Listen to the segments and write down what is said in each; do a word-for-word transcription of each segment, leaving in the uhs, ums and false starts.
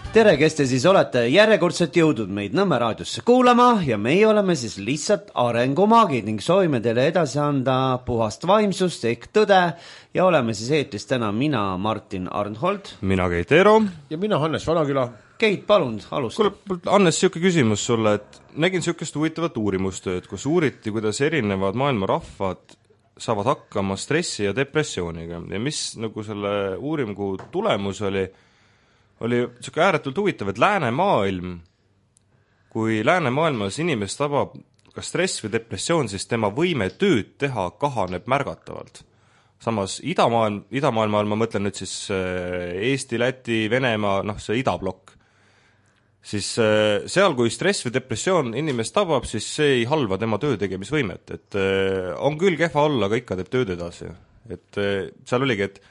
tere, kes te siis olete järjekordselt jõudnud meid Nõmme raadiosse kuulama ja meie oleme siis lihtsalt arengumaagid ning soovime teile edasi anda puhast vaimsust ehk tõde ja oleme siis eetris täna mina, Martin Arnhold. Mina Keit Eero. Ja mina Hannes Vanaküla. Keit, palun, alusta. Kuule, Hannes, siuke küsimus sulle, et nägin siukest huvitavat uurimustööd, kus uuriti, kuidas erinevad maailma rahvad saavad hakkama stressi ja depressiooniga ja mis nagu selle uuringu tulemus oli, oli siuke ääretult huvitav, et läänemaailm, kui läänemaailmas inimest tabab kas stress või depressioon, siis tema võime tööd teha kahaneb märgatavalt. Samas idamaailm, idamaailma all ma mõtlen nüüd siis Eesti, Läti, Venemaa, noh see idablokk, siis seal, kui stress või depressioon inimest tabab, siis see ei halva tema töö tegemisvõimet, et on küll kehva olla, aga ikka teeb tööd edasi. Et seal oligi, et,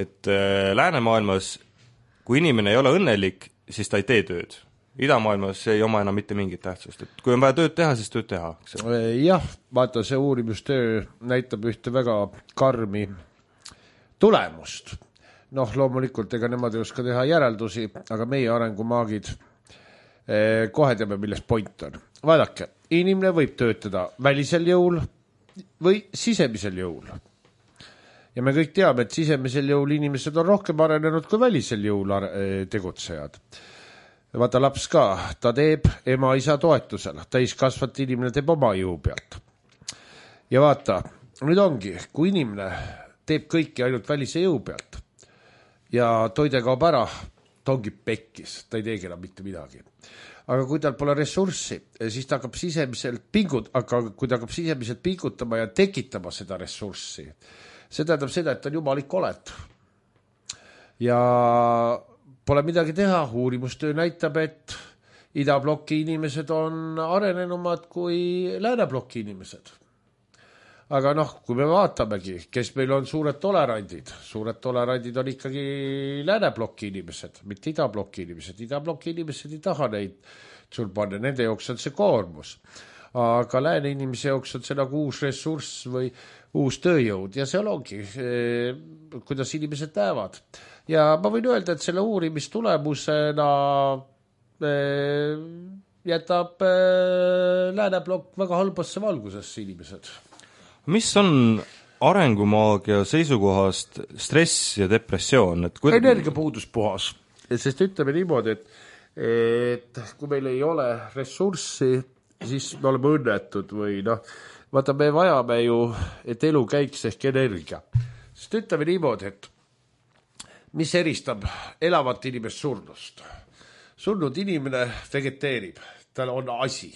et läänemaailmas kui inimene ei ole õnnelik, siis ta ei tee tööd. Idamaailmas ei oma enam mitte mingit tähtsust. Et kui on vaja tööd teha, siis tööd teha. Jah, vaata see uurimustöö näitab ühte väga karmi tulemust. Noh, loomulikult ega nemad ei oska teha järeldusi, aga meie arengumaagid kohe teame, milles point on. Vaadake, inimene võib töötada välisel jõul või sisemisel jõul. Ja me kõik teame, et sisemisel jõul inimesed on rohkem arenenud kui välisel jõul tegutsejad. Vaata laps ka, ta teeb ema isa toetusel, täiskasvat inimene teeb oma jõu pealt. Ja vaata, nüüd ongi, kui inimene teeb kõiki ainult välise jõu pealt ja toide kaob ära, ta ongi pekkis, ta ei teegi enam mitte midagi. Aga kui tal pole ressurssi, siis ta hakkab sisemiselt pingut, aga kui ta hakkab sisemiselt pingutama ja tekitama seda ressurssi, see tähendab seda, et on jumalik oled. Ja pole midagi teha, uurimustöö näitab, et idabloki inimesed on arenenumad kui läänebloki inimesed. Aga noh, kui me vaatamegi, kes meil on suured tolerandid, suured tolerandid on ikkagi läänebloki inimesed, mitte idabloki inimesed. Idabloki inimesed ei taha neid sul panna, nende jooks on see koormus. Aga lääne inimese jooks on see nagu uus ressurss või uus tööjõud ja seal ongi, kuidas inimesed näevad. Ja ma võin öelda, et selle uurimistulemusena jätab lääneblokk väga halbasse valgusesse inimesed. Mis on arengumaagia seisukohast stress ja depressioon? Et kui... Energiapuudus puhas. Sest ütleme niimoodi, et, et kui meil ei ole ressurssi, siis me oleme õnnetud või noh, vaata, me vajame ju, et elu käiks ehk energia. Sest ütleme niimoodi, et mis eristab elavat inimest surnust? Surnud inimene vegeteerib, tal on asi.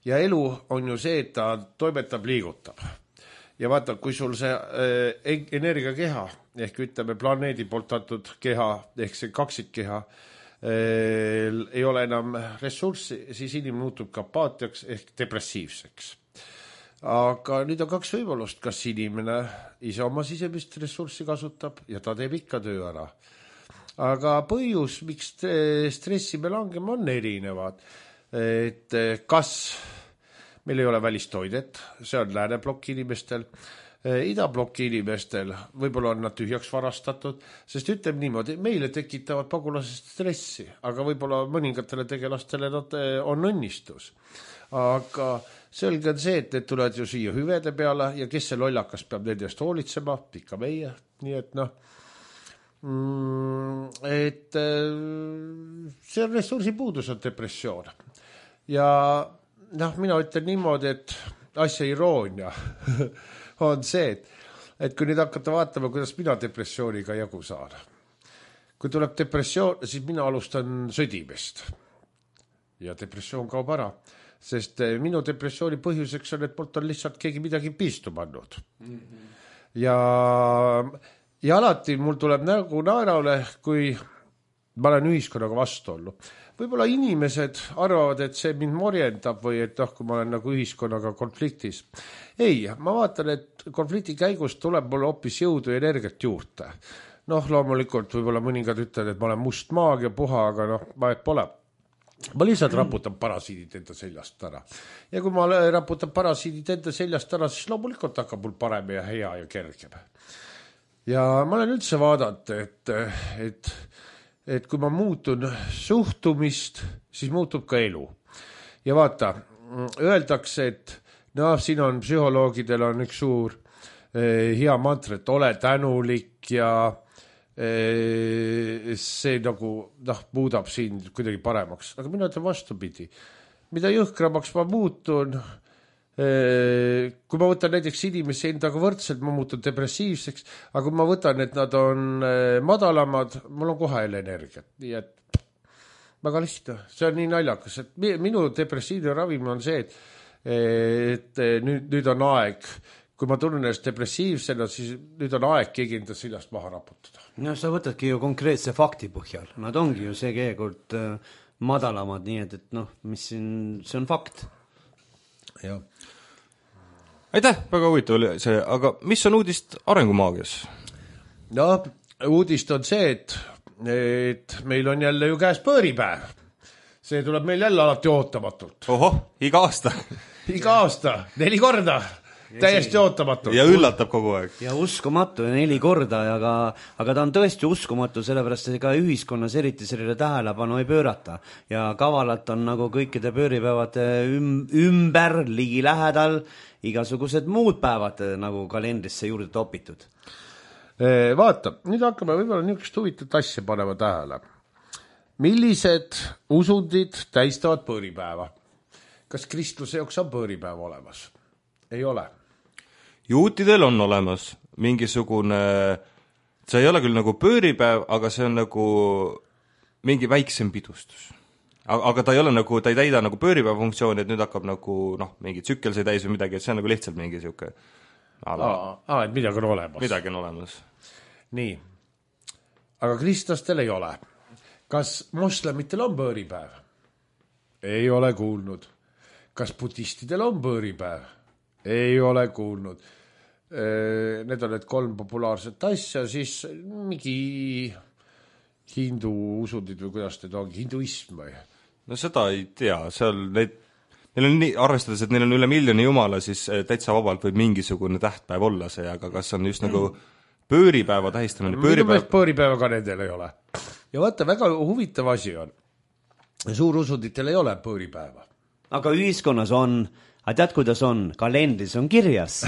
Ja elu on ju see, et ta toimetab, liigutab. Ja vaata, kui sul see äh, energiakeha, ehk ütleme planeedi poolt antud keha, ehk see kaksikkeha, äh, ei ole enam ressurssi, siis inimene muutub ka apaatiaks ehk depressiivseks. Aga nüüd on kaks võimalust, kas inimene ise oma sisemist ressurssi kasutab ja ta teeb ikka töö ära. Aga põhjus, miks stressi me langeme, on erinevad. Et kas meil ei ole välistoidet, see on lääneblokki inimestel, idablokki inimestel, võib-olla on nad tühjaks varastatud, sest ütleme niimoodi, meile tekitavad pagulasest stressi, aga võib-olla mõningatele tegelastele nad on õnnistus. Aga selge on see, et need tulevad ju siia hüvede peale ja kes see lollakas peab nende eest hoolitsema, ikka meie, nii et noh, et see on ressursipuudus on depressioon. Ja noh, mina ütlen niimoodi, et asja iroonia on see, et, et kui nüüd hakata vaatama, kuidas mina depressiooniga jagu saan. Kui tuleb depressioon, siis mina alustan sõdimist. Ja depressioon kaob ära, sest minu depressiooni põhjuseks on, et poolt on lihtsalt keegi midagi piistu pannud. Mm-hmm. Ja, ja alati mul tuleb nagu naeraule, kui ma olen ühiskonnaga vastu olnud. Võib-olla inimesed arvavad, et see mind morjendab või et noh, kui ma olen nagu ühiskonnaga konfliktis. Ei, ma vaatan, et konflikti käigus tuleb mul hoopis jõudu ja energiat juurde. Noh, loomulikult võib-olla mõningad ütlevad, et ma olen must maag ja puha, aga noh, ma et pole. Ma lihtsalt raputan parasiidid enda seljast ära. Ja kui ma raputan parasiidid enda seljast ära, siis loomulikult hakkab mul parem ja hea ja kergem. Ja ma olen üldse vaadanud, et, et et kui ma muutun suhtumist, siis muutub ka elu. Ja vaata, öeldakse, et noh, siin on psühholoogidel on üks suur eh, hea mantra, et ole tänulik ja eh, see nagu noh, muudab sind kuidagi paremaks. Aga mina ütlen vastupidi. Mida jõhkramaks ma muutun, eh, kui ma võtan näiteks inimesi endaga võrdselt, ma muutun depressiivseks, aga kui ma võtan, et nad on eh, madalamad, mul on kohe jälle energiat. Nii et väga lihtne, see on nii naljakas, et minu depressiivne ravim on see, et, et nüüd, nüüd on aeg, kui ma tunnen ennast depressiivsena, siis nüüd on aeg keegi enda seljast maha raputada. No sa võtadki ju konkreetse fakti põhjal, nad ongi ju see keekord äh, madalamad, nii et, et noh, mis siin, see on fakt. Jah. Aitäh, väga huvitav oli see, aga mis on uudist arengumaagias? No, uudist on see, et et meil on jälle ju käes pööripäev. See tuleb meil jälle alati ootamatult. Ohoh, iga aasta. Iga aasta, neli korda. Täiesti ootamatult. Ja üllatab kogu aeg. Ja uskumatu ja neli korda, aga, aga ta on tõesti uskumatu, sellepärast et ka ühiskonnas eriti sellele tähelepanu ei pöörata. Ja kavalalt on nagu kõikide pööripäevade üm, ümber, ligi lähedal, igasugused muud päevad nagu kalendrisse juurde topitud. Vaata, nüüd hakkame võib-olla niisugust huvitavat asja panema tähele. Millised usundid tähistavad pööripäeva? Kas kristluse jaoks on pööripäev olemas? Ei ole. Juutidel on olemas mingisugune, see ei ole küll nagu pööripäev, aga see on nagu mingi väiksem pidustus. Aga ta ei ole nagu, ta ei täida nagu pööripäeva funktsiooni, et nüüd hakkab nagu, noh, mingi tsükkel see täis või midagi, et see on nagu lihtsalt mingi siuke Aa, aa, et midagi on olemas. Midagi on olemas. Nii. Aga kristlastel ei ole. Kas moslemitel on pööripäev? Ei ole kuulnud. Kas budistidel on pööripäev? Ei ole kuulnud. Need on need kolm populaarset asja, siis mingi hindu usundid või kuidas need ongi, hinduism või? No seda ei tea, seal neid Neil on nii, arvestades, et neil on üle miljoni jumala, siis täitsa vabalt võib mingisugune tähtpäev olla see, aga kas on just nagu pööripäeva tähistamine? Pööripäeva, pööripäeva ka nendel ei ole. Ja vaata, väga huvitav asi on. Suurusunditel ei ole pööripäeva. Aga ühiskonnas on, aga tead, kuidas on? Kalendris on kirjas.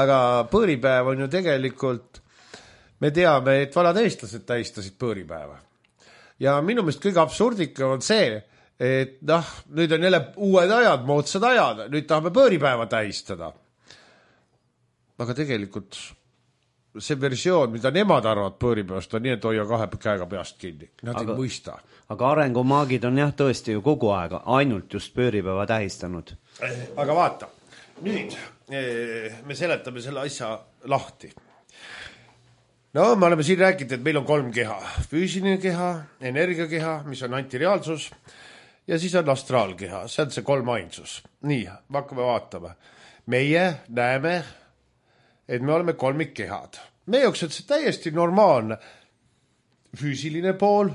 Aga pööripäev on ju tegelikult, me teame, et vanad eestlased tähistasid pööripäeva. Ja minu meelest kõige absurdika on see, et noh, nüüd on jälle uued ajad, moodsad ajad, nüüd tahame pööripäeva tähistada. Aga tegelikult see versioon, mida nemad arvad pööripäevast, on nii, et hoia kahe käega peast kinni. Nad aga, ei mõista. Aga arengumaagid on jah tõesti ju kogu aeg ainult just pööripäeva tähistanud. Aga vaata, nüüd me seletame selle asja lahti. No, me oleme siin rääkinud, et meil on kolm keha. Füüsiline keha, energiakeha, mis on antireaalsus, ja siis on astraalkeha, see on see kolm ainsus. Nii, hakkame vaatama. Meie näeme, et me oleme kolmikkehad. Meie jaoks on see täiesti normaalne. Füüsiline pool,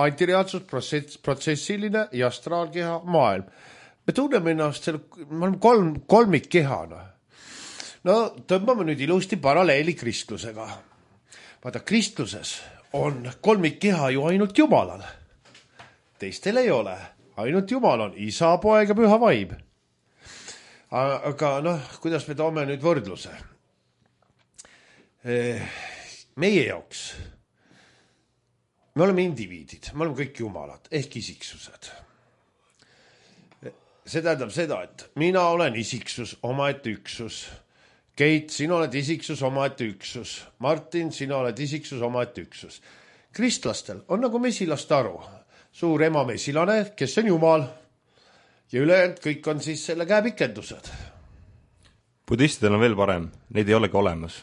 antireaalsus, protsess, protsessiline ja astraalkeha, maailm. Me tunneme ennast, selle, me oleme kolm, kolmikkehana. No, tõmbame nüüd ilusti paralleeli kristlusega. Vaata, kristluses on kolmikkeha ju ainult Jumalal. Teistel ei ole. Ainult Jumal on isa, poeg ja püha vaim. Aga noh, kuidas me toome nüüd võrdluse? Meie jaoks me oleme indiviidid, me oleme kõik jumalad ehk isiksused. See tähendab seda, et mina olen isiksus, omaette üksus. Keit, sina oled isiksus, omaette üksus. Martin, sina oled isiksus, omaette üksus. Kristlastel on nagu mesilast aru. Suur ema mesilane, kes on Jumal. Ja ülejäänud kõik on siis selle käepikendused. Budistidel on veel parem, neid ei olegi olemas.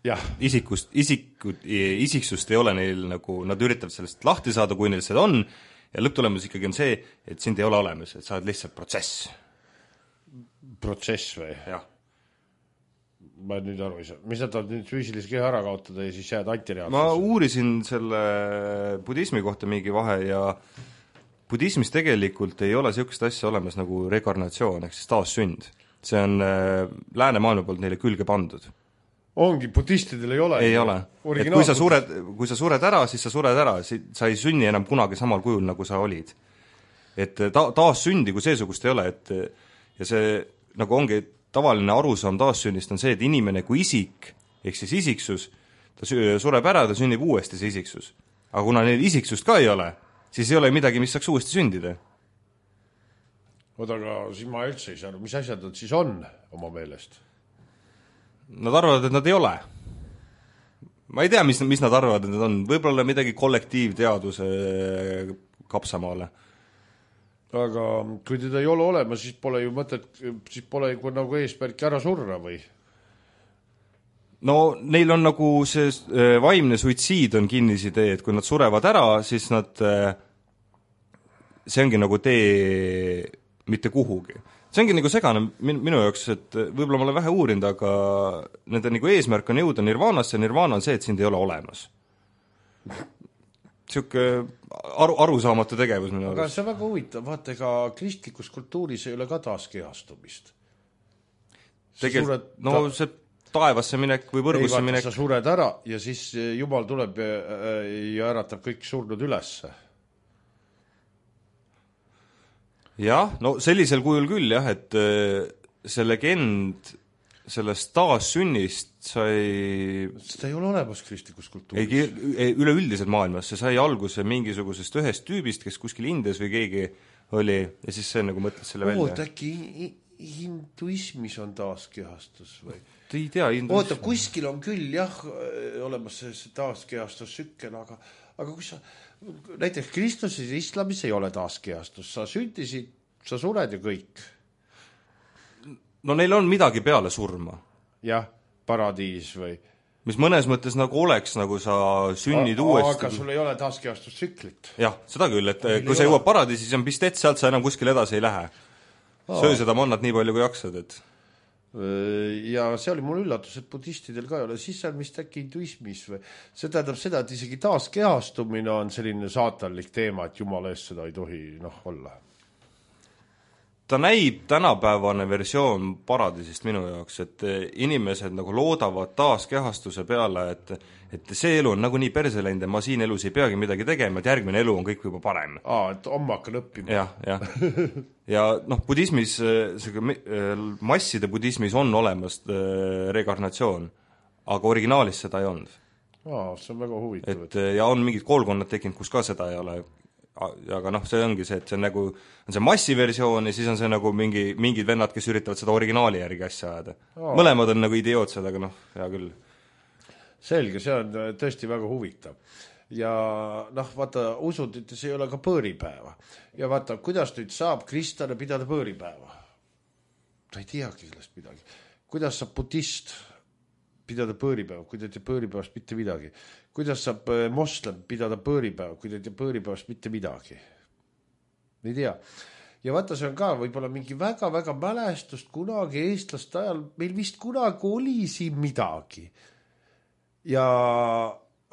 Jah. Isikust, isikud, isiksust ei ole neil nagu, nad üritavad sellest lahti saada, kui neil seda on, ja lõpptulemus ikkagi on see, et sind ei ole olemas, et sa oled lihtsalt protsess. Protsess või? Jah. Ma nüüd aru ei saa. Mis nad on nüüd füüsilise keha ära kaotada ja siis jääd antireaalsus? Ma uurisin selle budismi kohta mingi vahe ja budismis tegelikult ei ole sellist asja olemas nagu rekarnatsioon ehk siis taassünd. See on läänemaailma poolt neile külge pandud. ongi, budistidel ei ole. Ei ole. Et kui sa sured, kui sa sured ära, siis sa sured ära, sa ei sünni enam kunagi samal kujul, nagu sa olid. Et ta, taas sündi kui seesugust ei ole, et ja see nagu ongi tavaline arusaam taassünnist on see, et inimene kui isik, ehk siis isiksus, ta sureb ära, ta sünnib uuesti see isiksus. Aga kuna neil isiksust ka ei ole, siis ei ole midagi, mis saaks uuesti sündida. Oota, aga siis ma üldse ei saa, mis asjad nad siis on oma meelest? Nad arvavad, et nad ei ole. Ma ei tea, mis, mis nad arvavad, et nad on. Võib-olla midagi kollektiivteaduse kapsamaale. Aga kui teda ei ole olema, siis pole ju mõtet, siis pole ju nagu eesmärki ära surra või? No neil on nagu see vaimne suitsiid on kinnisidee, et kui nad surevad ära, siis nad, see ongi nagu tee mitte kuhugi. See ongi nagu segane minu jaoks, et võib-olla ma olen vähe uurinud, aga nende nagu eesmärk on jõuda nirvaanasse, nirvaana on see, et sind ei ole olemas. Siuke aru, arusaamatu tegevus minu aga see on väga huvitav, vaata, ega kristlikus kultuuris ei ole ka taaskehastumist. Tegelikult, no ta... see taevasse minek või võrgusse ei, minek. Sa sured ära ja siis Jumal tuleb ja, ja äratab kõik surnud ülesse. Jah, no sellisel kujul küll jah, et see legend sellest taassünnist sai... Seda ei ole olemas kristlikus kultuuris. Ei, üleüldiselt maailmas, see sai alguse mingisugusest ühest tüübist, kes kuskil Indias või keegi oli ja siis see nagu mõtles selle välja. Oot, äkki hinduismis on taaskehastus või? Ei tea, oota, kuskil on küll jah olemas see, see taaskehastus-sükkel, aga, aga kui sa näiteks Kristuses ja islamis ei ole taaskehastus, sa sündisid, sa sured ja kõik. No neil on midagi peale surma. Jah, paradiis või? Mis mõnes mõttes nagu oleks, nagu sa sünnid a, uuesti. Aga sul ei ole taaskehastus-süklit. Jah, seda küll, et meil kui sa jõuab paradiisi, siis on pistet, sealt sa enam kuskil edasi ei lähe. Söö seda mannat nii palju kui jaksad, et ja see oli mul üllatus, et budistidel ka ei ole, siis on vist äkki hinduismis või see tähendab seda, et isegi taaskehastumine on selline saatanlik teema, et Jumala eest seda ei tohi noh olla. Ta näib tänapäevane versioon paradiisist minu jaoks, et inimesed nagu loodavad taaskehastuse peale, et, et see elu on nagu nii perse läinud ja ma siin elus ei peagi midagi tegema, et järgmine elu on kõik juba parem. Aa, et homme hakkan õppima. Jah, jah. Ja noh, budismis, masside budismis on olemas rekarnatsioon, aga originaalis seda ei olnud. Aa, see on väga huvitav. Et, ja on mingid koolkonnad tekkinud, kus ka seda ei ole. Aga noh, see ongi see, et see on nagu on see massiversioon ja siis on see nagu mingi, mingid vennad, kes üritavad seda originaali järgi asja ajada. Aa. Mõlemad on nagu idiootsed, aga noh, hea küll. Selge, see on tõesti väga huvitav. Ja noh, vaata, usundites ei ole ka põõripäeva. Ja vaata, kuidas nüüd saab kristlane pidada põõripäeva? Ta ei teagi sellest midagi. Kuidas saab budist pidada põõripäeva, kui ta ei tee põõripäevast mitte midagi? Kuidas saab moslem pidada põõripäeva, kui ta ei tee põõripäevast mitte midagi? Ei tea. Ja vaata, see on ka võib-olla mingi väga-väga mälestust kunagi eestlaste ajal, meil vist kunagi oli siin midagi. Ja,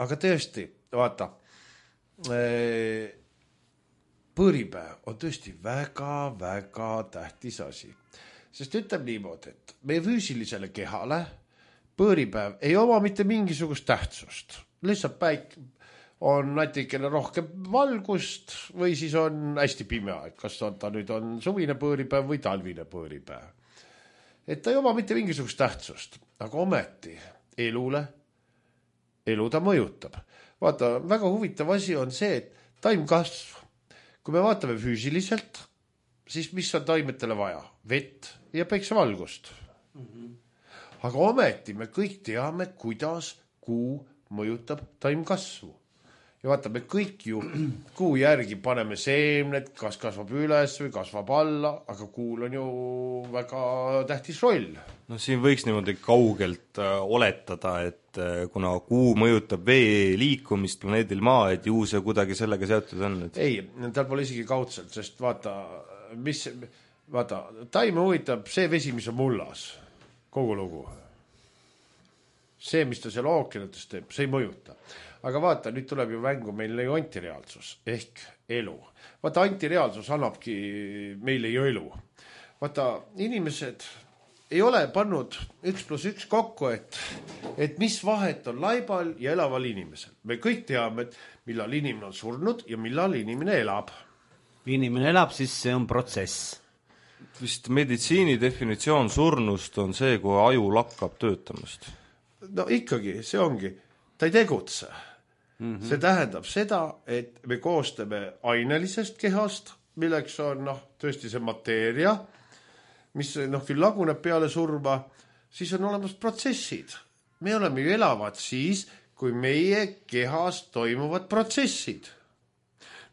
aga tõesti, vaata, põõripäev on tõesti väga-väga tähtis asi. Sest ütleb niimoodi, et meie füüsilisele kehale põõripäev ei oma mitte mingisugust tähtsust. Lihtsalt päik on natikene rohkem valgust või siis on hästi pime aeg, kas on, ta nüüd on suvine põõripäev või talvine põõripäev. Et ta ei oma mitte mingisugust tähtsust, aga ometi elule, elu ta mõjutab. Vaata, väga huvitav asi on see, et taimkasv, kui me vaatame füüsiliselt, siis mis on taimetele vaja? Vett ja päiksevalgust. Mm-hmm. Aga ometi me kõik teame, kuidas kuu mõjutab taimkasvu. Ja vaata, me kõik ju kuu järgi paneme seemned, kas kasvab üles või kasvab alla, aga kuul on ju väga tähtis roll. No siin võiks niimoodi kaugelt äh, oletada, et äh, kuna kuu mõjutab vee liikumist planeedil maa, et ju see kuidagi sellega seotud on. Et... Ei, tal pole isegi kaudselt, sest vaata, mis, vaata, taime huvitab see vesi, mis on mullas, kogu lugu. See, mis ta seal ookeanites teeb, see ei mõjuta. Aga vaata, nüüd tuleb ju mängu meil ju antireaalsus ehk elu. Vaata, antireaalsus annabki meile ju elu. Vaata, inimesed ei ole pannud üks pluss üks kokku, et, et mis vahet on laibal ja elaval inimesel. Me kõik teame, et millal inimene on surnud ja millal inimene elab. Inimene elab, siis see on protsess. Vist meditsiini definitsioon surnust on see, kui aju lakkab töötamast. No ikkagi, see ongi. Ta ei tegutse. Mm-hmm. See tähendab seda, et me koostame ainelisest kehast, milleks on noh, tõesti see mateeria, mis noh, küll laguneb peale surma, siis on olemas protsessid. Me oleme ju elavad siis, kui meie kehas toimuvad protsessid.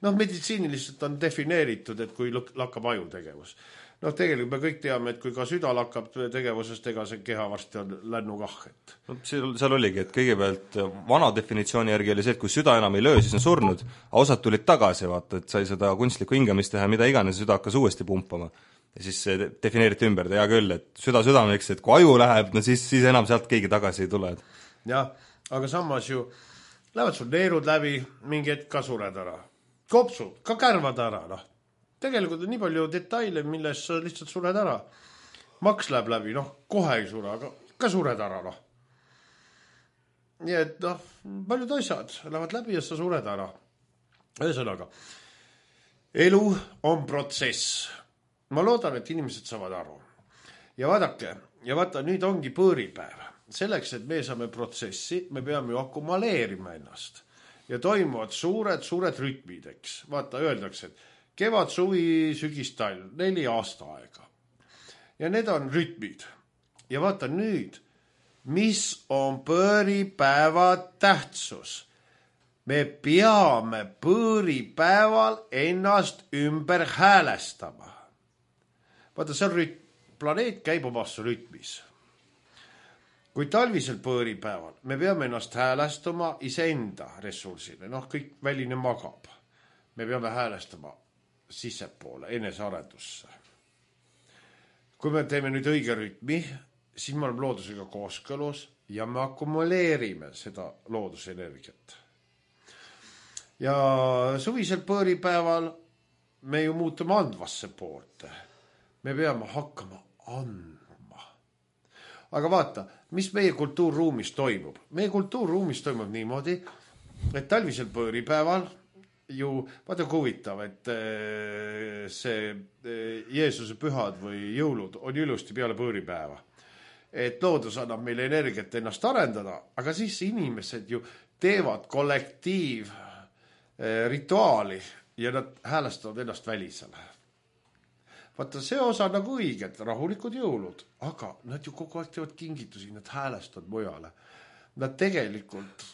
Noh, meditsiiniliselt on defineeritud, et kui lakkab aju tegevus. Noh, tegelikult me kõik teame, et kui ka süda lakkab tegevusest, ega see keha varsti on lännukahhet. No, seal, seal oligi, et kõigepealt vana definitsiooni järgi oli see, et kui süda enam ei löö, siis on surnud, aga osad tulid tagasi, vaata, et sai seda kunstlikku hingamist teha, mida iganes, süda hakkas uuesti pumpama. Ja siis see defineeriti ümber, hea küll, et süda südameks, et kui aju läheb, no siis, siis enam sealt keegi tagasi ei tule. Jah, aga samas ju lähevad sul neerud läbi, mingi hetk ka sured ära. Kopsud, ka kärvad ära, noh. Tegelikult on nii palju detaile, milles sa lihtsalt sured ära. Maks läheb läbi, noh, kohe ei sure, aga ka sured ära, noh. Nii et, noh, paljud asjad lähevad läbi ja sa sured ära. Ühesõnaga, elu on protsess. Ma loodan, et inimesed saavad aru. Ja vaadake, ja vaata, nüüd ongi põõripäev. Selleks, et me saame protsessi, me peame ju akumuleerima ennast. Ja toimuvad suured, suured rütmid, eks. Vaata, öeldakse, et kevad, suvi, sügis, talv, neli aasta aega. Ja need on rütmid. Ja vaata nüüd, mis on põõripäeva tähtsus. Me peame põõripäeval ennast ümber häälestama. Vaata, see rütm, planeet käib omas rütmis. Kui talvisel põõripäeval me peame ennast häälestama iseenda ressursile, noh, kõik väline magab. Me peame häälestama sissepoole, enesearendusse. Kui me teeme nüüd õige rütmi, siis me oleme loodusega kooskõlus ja me akumuleerime seda loodusenergiat. Ja suvisel põõripäeval me ju muutume andvasse poolte. Me peame hakkama andma. Aga vaata, mis meie kultuurruumis toimub? Meie kultuurruumis toimub niimoodi, et talvisel põõripäeval ju, vaata kui huvitav, et see Jeesuse pühad või jõulud on ilusti peale põõripäeva. Et loodus annab meile energiat ennast arendada, aga siis inimesed ju teevad kollektiiv rituaali ja nad häälestavad ennast välisele. Vaata, see osa nagu õiget, rahulikud jõulud, aga nad ju kogu aeg teevad kingitusi, nad häälestavad mujale. Nad tegelikult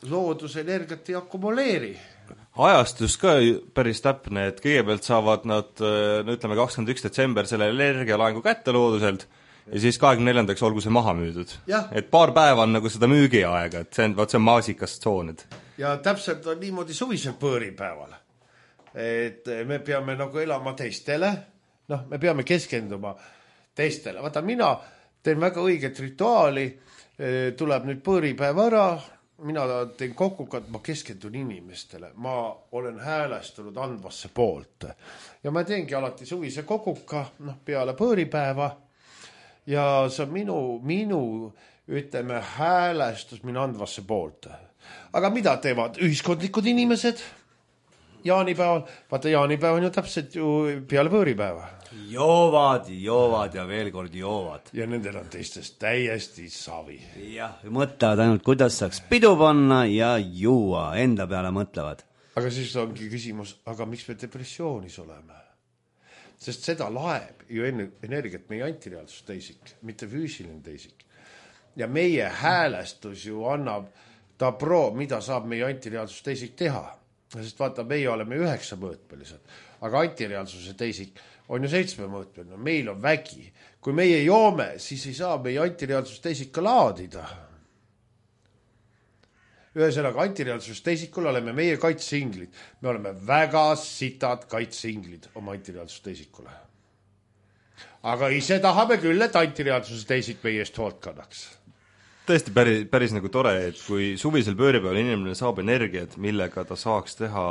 loodusenergiat ei akumuleeri. Ajastus ka päris täpne, et kõigepealt saavad nad, no ütleme, kakskümmend üks detsember selle energialaengu kätte looduselt ja siis kahekümne neljandaks olgu see maha müüdud. Ja. Et paar päeva on nagu seda müügiaega, et see on, vaat see on maasikas tsoonid. Ja täpselt on niimoodi suvisel põõripäeval. Et me peame nagu elama teistele, noh, me peame keskenduma teistele. Vaata, mina teen väga õiget rituaali, tuleb nüüd põõripäev ära, mina teen kokkukat, ma keskendun inimestele. Ma olen häälestunud andvasse poolt. Ja ma teengi alati suvise kokuka, noh, peale põõripäeva. Ja see on minu, minu, ütleme, häälestus minu andvasse poolt. Aga mida teevad ühiskondlikud inimesed? Jaanipäeval, vaata jaanipäev on ju täpselt ju peale põõripäeva. Joovad, joovad ja veel kord joovad. Ja nendel on teistest täiesti savi. Jah, mõtlevad ainult, kuidas saaks pidu panna ja juua, enda peale mõtlevad. Aga siis ongi küsimus, aga miks me depressioonis oleme? Sest seda laeb ju enne energiat meie antireaalsus teisik, mitte füüsiline teisik. Ja meie häälestus ju annab ta pro, mida saab meie antireaalsus teisik teha. Sest vaata, meie oleme üheksa mõõtmelised, aga antireaalsuse teisik on ju seitsme mõõtmeline. Meil on vägi. Kui meie joome, siis ei saa meie antireaalsus teisik ka laadida. Ühesõnaga, antireaalsus teisikul oleme meie kaitseinglid. Me oleme väga sitad kaitseinglid oma antireaalsus teisikule. Aga ise tahame küll, et antireaalsus teisik meie eest hoolt kannaks. Tõesti päris, päris nagu tore, et kui suvisel pööripäeval inimene saab energiat, millega ta saaks teha,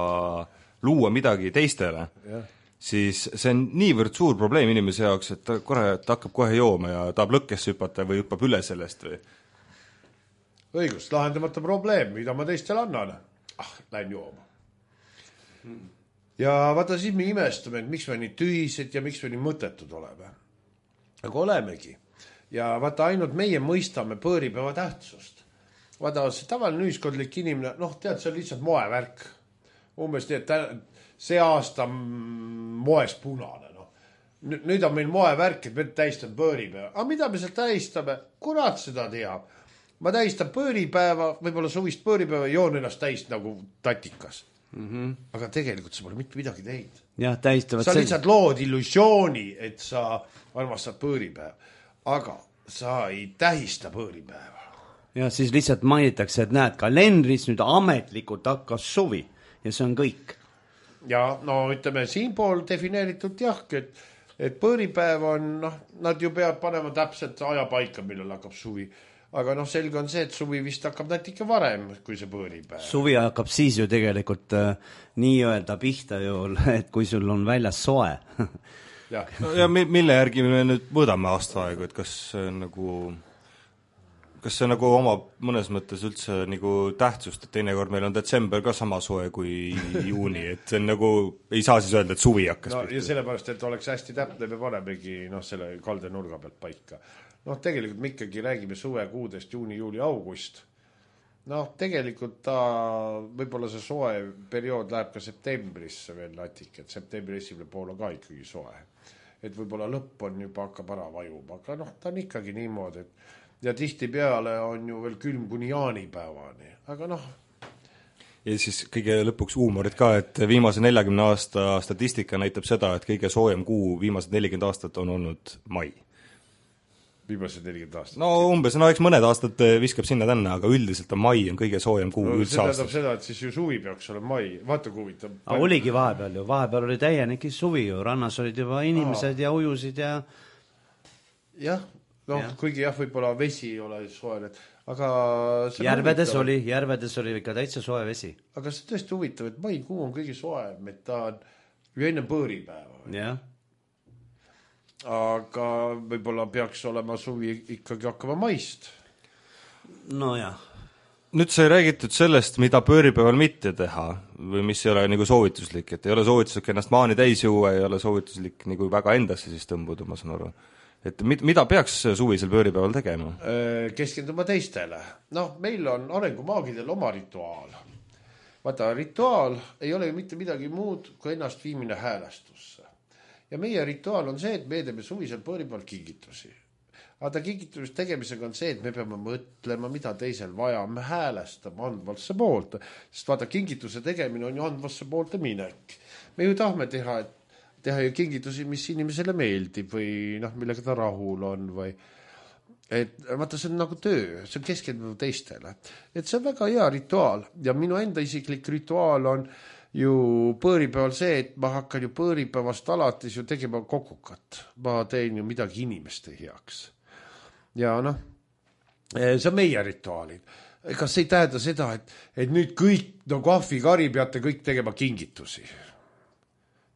luua midagi teistele, ja. siis see on niivõrd suur probleem inimese jaoks, et ta korra ta hakkab kohe jooma ja tahab lõkkesse hüpata või hüppab üle sellest või? Õigus, lahendamata probleem, mida ma teistele annan. Ah, lähen jooma. Ja vaata, siis me imestame, et miks me nii tühised ja miks me nii mõttetud oleme. Aga olemegi. Ja vaata, ainult meie mõistame põõripäeva tähtsust. Vaata, see tavaline ühiskondlik inimene, noh, tead, see on lihtsalt moevärk. Umbes nii, et see aasta moes punane. No. Nüüd on meil moevärk, et me tähistame põõripäeva. Aga mida me seal tähistame? Kurat seda teab. Ma tähistan põõripäeva, võib-olla suvist põõripäeva, joon ennast tähist nagu tatikas. Mm-hmm. Aga tegelikult sa pole mitte midagi teinud. Jah, tähistavad sa lihtsalt lood illusiooni, et sa armastad põõripäeva. Aga sa ei tähista põõripäeva. Ja siis lihtsalt mainitakse, et näed, kalendris nüüd ametlikult hakkas suvi ja see on kõik. Ja no ütleme, siin pool defineeritud jah, et, et põõripäev on, noh, nad ju peavad panema täpselt aja paika, millal hakkab suvi. Aga noh, selge on see, et suvi vist hakkab natuke varem, kui see põõripäev. Suvi hakkab siis ju tegelikult äh, nii öelda pihta ju, et kui sul on väljas soe. ja, no, ja mille järgi me nüüd mõõdame aastaaegu, et kas see on nagu... Kas see nagu oma mõnes mõttes üldse nagu tähtsust, et teinekord meil on detsember ka sama soe kui juuni, et see on nagu, ei saa siis öelda, et suvi hakkas no, ja sellepärast, et oleks hästi täpne, me panemegi noh, selle kalde nurga pealt paika. Noh, tegelikult me ikkagi räägime suvekuudest juuni, juuli, august. Noh, tegelikult ta, võib-olla see soe periood läheb ka septembrisse veel natik, et septembri esimene pool on ka ikkagi soe. Et võib-olla lõpp on juba hakkab ära vajuma, aga noh, ta on ikkagi niimoodi, et ja tihti peale on ju veel külm kuni jaanipäevani, aga noh. Ja siis kõige lõpuks huumorid ka, et viimase neljakümne aasta statistika näitab seda, et kõige soojem kuu viimased nelikümmend aastat on olnud mai. Viimased nelikümmend aastat? No umbes, no eks mõned aastad viskab sinna tänna, aga üldiselt on mai on kõige soojem kuu no, üldse aastas. See tähendab seda, et siis ju suvi peaks olema mai, vaata kui huvitav. Aga oligi vahepeal ju, vahepeal oli täienegi suvi ju, rannas olid juba inimesed Aa. ja ujusid ja... Jah, noh, ja. Kuigi jah, võib-olla vesi ei ole soe, aga järvedes oli, järvedes oli ikka täitsa soe vesi. Aga see tõesti huvitav, et maikuu on kõige soem, et ta on ju enne põõripäeva. Jah. Aga võib-olla peaks olema suvi ikkagi hakkama maist. No jah. Nüüd sai räägitud sellest, mida pööripäeval mitte teha või mis ei ole nagu soovituslik, et ei ole soovituslik ennast maani täis juua, ei ole soovituslik nagu väga endasse siis tõmbuda, ma saan aru. Et mida peaks suvisel pööripäeval tegema? Keskenduma teistele. Noh, meil on arengumaagidel oma rituaal. Vaata, rituaal ei ole ju mitte midagi muud kui ennast viimine häälestusse. Ja meie rituaal on see, et me teeme suvisel pööripäeval kingitusi. Aga ta kingitus tegemisega on see, et me peame mõtlema, mida teisel vaja, me häälestame andvasse poolt. Sest vaata, kingituse tegemine on ju andvasse poolte minek. Me ju tahame teha, et teha ju kingitusi, mis inimesele meeldib või noh, millega ta rahul on või et vaata, see on nagu töö, see on keskendunud teistele. Et see on väga hea rituaal ja minu enda isiklik rituaal on ju põõripäeval see, et ma hakkan ju põõripäevast alates ju tegema kokukat. Ma teen ju midagi inimeste heaks. Ja noh, see on meie rituaalid. Kas see ei tähenda seda, et, et nüüd kõik, no kahvi, kari peate kõik tegema kingitusi?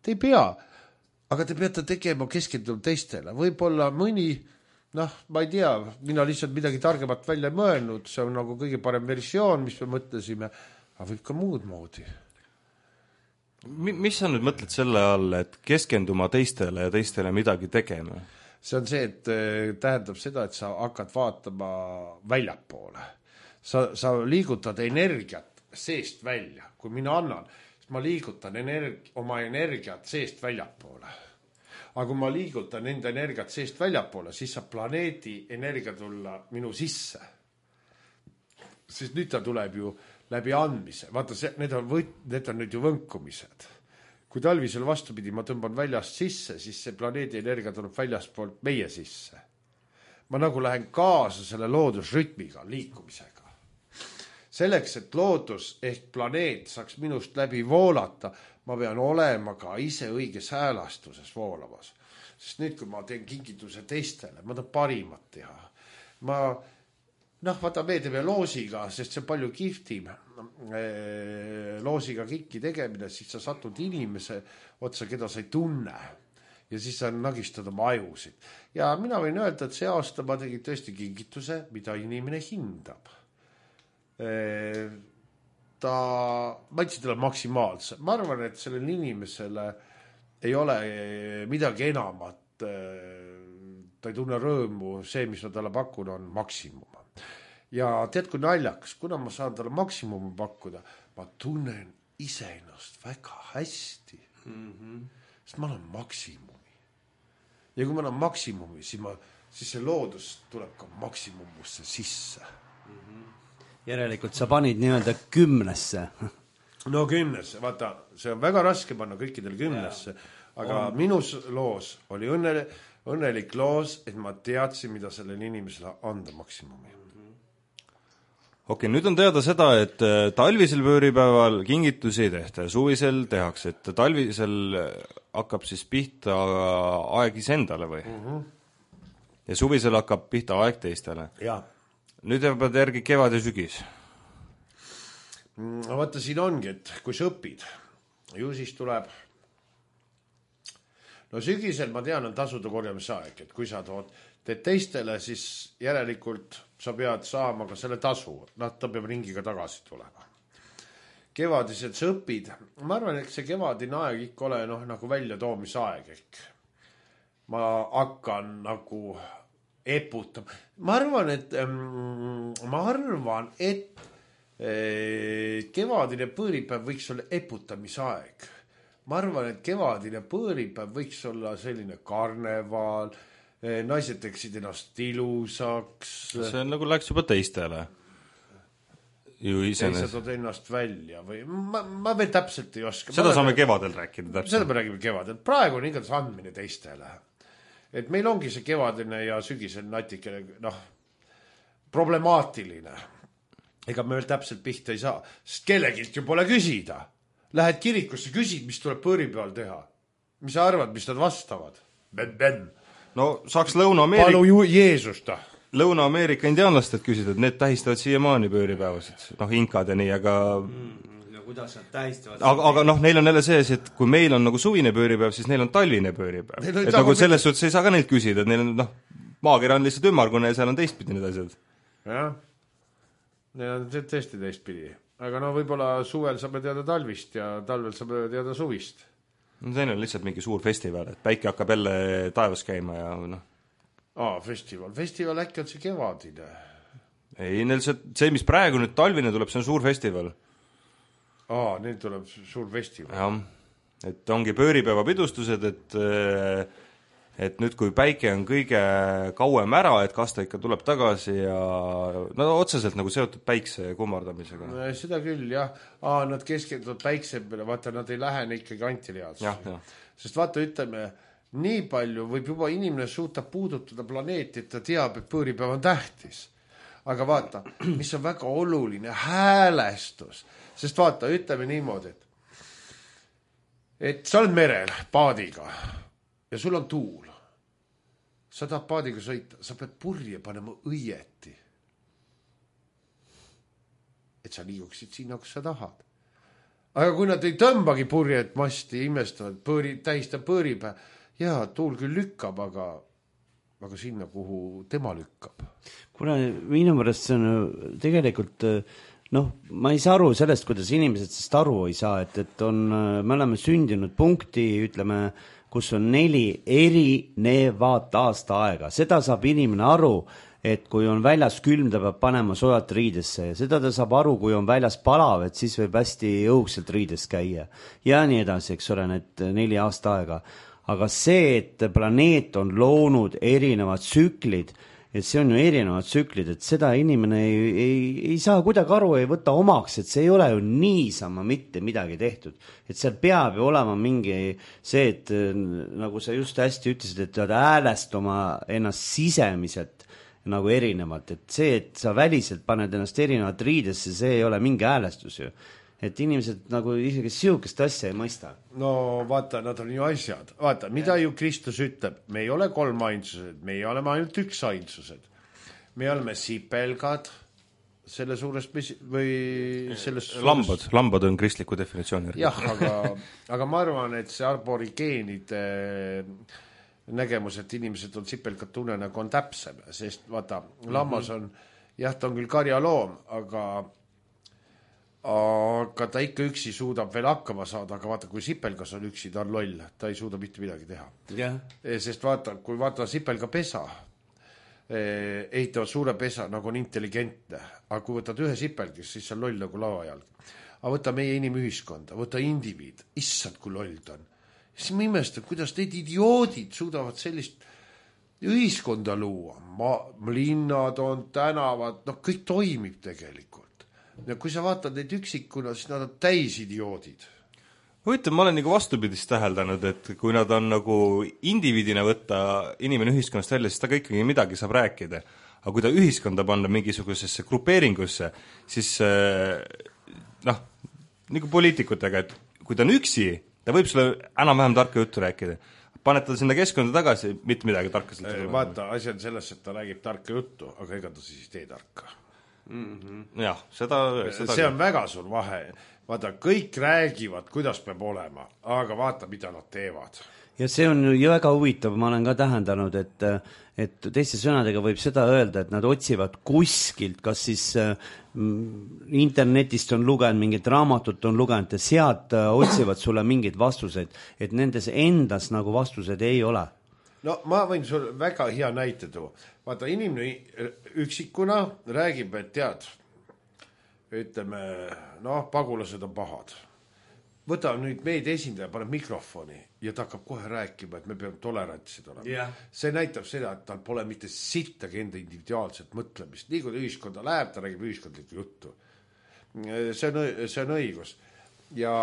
Te ei pea. Aga te peate tegema keskendunud teistele. Võib-olla mõni, noh, ma ei tea, mina lihtsalt midagi targemat välja mõelnud, see on nagu kõige parem versioon, mis me mõtlesime, aga võib ka muud moodi. Mis sa nüüd mõtled selle all, et keskenduma teistele ja teistele midagi tegema? See on see, et tähendab seda, et sa hakkad vaatama väljapoole. Sa, sa liigutad energiat seest välja, kui mina annan, ma liigutan energi- oma energiat seest väljapoole. Aga kui ma liigutan enda energiat seest väljapoole, siis saab planeedi energia tulla minu sisse. Siis nüüd ta tuleb ju läbi andmise. Vaata, see, need, on võt, need on nüüd ju võnkumised. Kui talvisel vastupidi ma tõmban väljast sisse, siis see planeedi energia tuleb väljast poolt meie sisse. Ma nagu lähen kaasa selle loodusrütmiga, liikumisega. Selleks, et loodus ehk planeet saaks minust läbi voolata, ma pean olema ka ise õiges häälastuses voolamas. Sest nüüd, kui ma teen kingituse teistele, ma tahan parimat teha. Ma noh, vaata, me teeme loosiga, sest see on palju kihvtim loosiga kikki tegemine, siis sa satud inimese otsa, keda sa ei tunne ja siis sa nagistad oma ajusid. Ja mina võin öelda, et see aasta ma tegin tõesti kingituse, mida inimene hindab. Ta, ma ütlesin talle maksimaalse. Ma arvan, et sellel inimesele ei ole midagi enamat. Ta ei tunne rõõmu, see, mis ma talle pakun, on maksimum. Ja tead, kui naljakas, kuna ma saan talle maksimumi pakkuda, ma tunnen iseennast väga hästi. Mm-hmm. Sest ma olen maksimumi. Ja kui ma olen maksimumi, siis, ma, siis see loodus tuleb ka maksimumusse sisse. Mm-hmm. Järelikult sa panid nii-öelda kümnesse. No kümnesse, vaata, see on väga raske panna kõikidel kümnesse, aga on. Minus loos oli õnne, õnnelik loos, et ma teadsin, mida sellele inimesele anda maksimumi. Okei, nüüd on teada seda, et talvisel pööripäeval kingitusi ei tehta ja suvisel tehakse, et talvisel hakkab siis pihta aeg isendale või? Mm-hmm. Ja suvisel hakkab pihta aeg teistele. Ja. Nüüd jäävad järgi kevad ja sügis. Vaata, siin ongi, et kui sa õpid, ju siis tuleb... No sügisel, ma tean, on tasuda korjamise aeg, et kui sa tood, teed teistele, siis järelikult sa pead saama ka selle tasu. Nad ta peab ringiga tagasi tulema. Kevadised sa õpid. Ma arvan, et see kevadine aeg ikka ole noh, nagu välja toomise aeg. Ehk. Ma hakkan nagu eputama. Ma arvan, et, ähm, ma arvan, et äh, kevadine põõripäev võiks olla eputamise aeg. Ma arvan, et kevadine põõripäev võiks olla selline karneval, naised teksid ennast ilusaks. See on nagu läks juba teistele. Ju isenes. Teised on ennast välja või ma, ma veel täpselt ei oska. Seda ma saame kevadel rääkida täpselt. Seda me räägime kevadel. Praegu on igatahes andmine teistele. Et meil ongi see kevadine ja sügisel natikene noh, problemaatiline. Ega me veel täpselt pihta ei saa. Sest kellegilt ju pole küsida. Lähed kirikusse, küsid, mis tuleb põõripäeval teha. Mis sa arvad, mis nad vastavad? Ben, ben. No saaks Lõuna-Ameerika... Palu ju Jeesusta. Lõuna-Ameerika indiaanlased küsida, et need tähistavad siiamaani pööripäevasid. Noh, inkad ja nii, aga... Mm, no kuidas nad tähistavad? Aga, aga noh, neil on jälle sees, et kui meil on nagu suvine pööripäev, siis neil on talvine pööripäev. Et nagu selles suhtes ei saa ka neilt küsida, et neil on, noh, maakera on lihtsalt ümmargune ja seal on teistpidi need asjad. Jah, neil on tõesti teistpidi. Aga no võib-olla suvel saame teada talvist ja talvel saame teada suvist. No see on lihtsalt mingi suur festival, et päike hakkab jälle taevas käima ja noh. Aa, festival. Festival äkki on see kevadine. Ei, neil see, see, mis praegu nüüd talvine tuleb, see on suur festival. Aa, neil tuleb suur festival. Jah, et ongi pööripäeva pidustused, et, et nüüd kui päike on kõige kauem ära, et kas ta ikka tuleb tagasi ja no otseselt nagu seotud päikse kummardamisega. No, seda küll, jah. Aa, nad keskenduvad päikse peale, vaata, nad ei lähene ikkagi antiliaadsusi. Sest vaata, ütleme, nii palju võib juba inimene suuta puudutada planeeti, et ta teab, et pööripäev on tähtis. Aga vaata, mis on väga oluline, häälestus. Sest vaata, ütleme niimoodi, et, et sa oled merel paadiga ja sul on tuul. Sa tahad paadiga sõita, sa pead purje panema õieti. Et sa liiguksid sinna, kus sa tahad. Aga kui nad ei tõmbagi purjet masti, imestavad, põõri, tähistab põõripäev, jaa, tuul küll lükkab, aga, aga sinna, kuhu tema lükkab. Kuna minu mõrest see on tegelikult, noh, ma ei saa aru sellest, kuidas inimesed sest aru ei saa, et, et on, me oleme sündinud punkti, ütleme, kus on neli erinevat aasta aega. Seda saab inimene aru, et kui on väljas külm, ta peab panema soojalt riidesse ja seda ta saab aru, kui on väljas palav, et siis võib hästi õugselt riides käia. Ja nii edasi, eks ole, need neli aasta aega. Aga see, et planeet on loonud erinevad tsüklid, et see on ju erinevad tsüklid, et seda inimene ei, ei, ei saa kuidagi aru, ei võta omaks, et see ei ole ju niisama mitte midagi tehtud. Et seal peab ju olema mingi see, et nagu sa just hästi ütlesid, et pead häälestama ennast sisemiselt nagu erinevalt, et see, et sa väliselt paned ennast erinevat riidesse, see ei ole mingi häälestus ju. Et inimesed nagu isegi siukest asja ei mõista. No vaata, nad on ju asjad. Vaata, mida ju Kristus ütleb? Me ei ole kolm ainsused, me ei ole ainult üks ainsused. me oleme sipelgad selle suurest mesi- või sellest lambad suurest..., lambad on kristliku definitsiooni. jah, aga, aga ma arvan, et see arborigeenide nägemus, et inimesed on sipelgad tunnenägu on täpsem, sest vaata, lammas on, jah, ta on küll karjaloom, aga aga ta ikka üksi suudab veel hakkama saada, aga vaata, kui sipelgas on üksi, ta on loll, ta ei suuda mitte midagi teha. Yeah. Sest vaata, kui vaata sipelga pesa, ehitavad suure pesa, nagu on intelligentne, aga kui võtad ühe sipelgis, siis see on loll nagu lavajalg. Aga võta meie inimühiskonda, võta indiviid, issand, kui loll ta on. Siis ma imestan, kuidas need idioodid suudavad sellist ühiskonda luua. Ma, linnad on, tänavad, noh, kõik toimib tegelikult. Ja kui sa vaatad neid üksikuna, siis nad on täis idioodid. Huvitav, ma olen nagu vastupidist täheldanud, et kui nad on nagu indiviidina võtta inimene ühiskonnast välja, siis ta ka ikkagi midagi saab rääkida. Aga kui ta ühiskonda panna mingisugusesse grupeeringusse, siis noh, nagu poliitikutega, et kui ta on üksi, ta võib sulle enam-vähem tarka juttu rääkida. Paned ta sinna keskkonda tagasi, mitte midagi tarka sealt tuleb. Vaata, asi on selles, et ta räägib tarka juttu, aga ega ta siis tee tarka. Mm-hmm. Jah, seda, seda see on väga suur vahe. Vaata, kõik räägivad, kuidas peab olema, aga vaata, mida nad teevad. Ja see on ju väga huvitav, ma olen ka tähendanud, et, et teiste sõnadega võib seda öelda, et nad otsivad kuskilt, kas siis mm, internetist on lugenud, mingit raamatut on lugenud ja sealt otsivad sulle mingeid vastuseid, et nendes endas nagu vastused ei ole. No ma võin sulle väga hea näite tuua. Vaata, inimene üksikuna räägib, et tead, ütleme, noh, pagulased on pahad. Võta nüüd meid esindaja, paneb mikrofoni ja ta hakkab kohe rääkima, et me peame tolerantsid olema. Yeah. See näitab seda, et tal pole mitte sittagi enda individuaalset mõtlemist. Nii kui ühiskonda läheb, ta räägib ühiskondlikku juttu. See on, see on õigus. Ja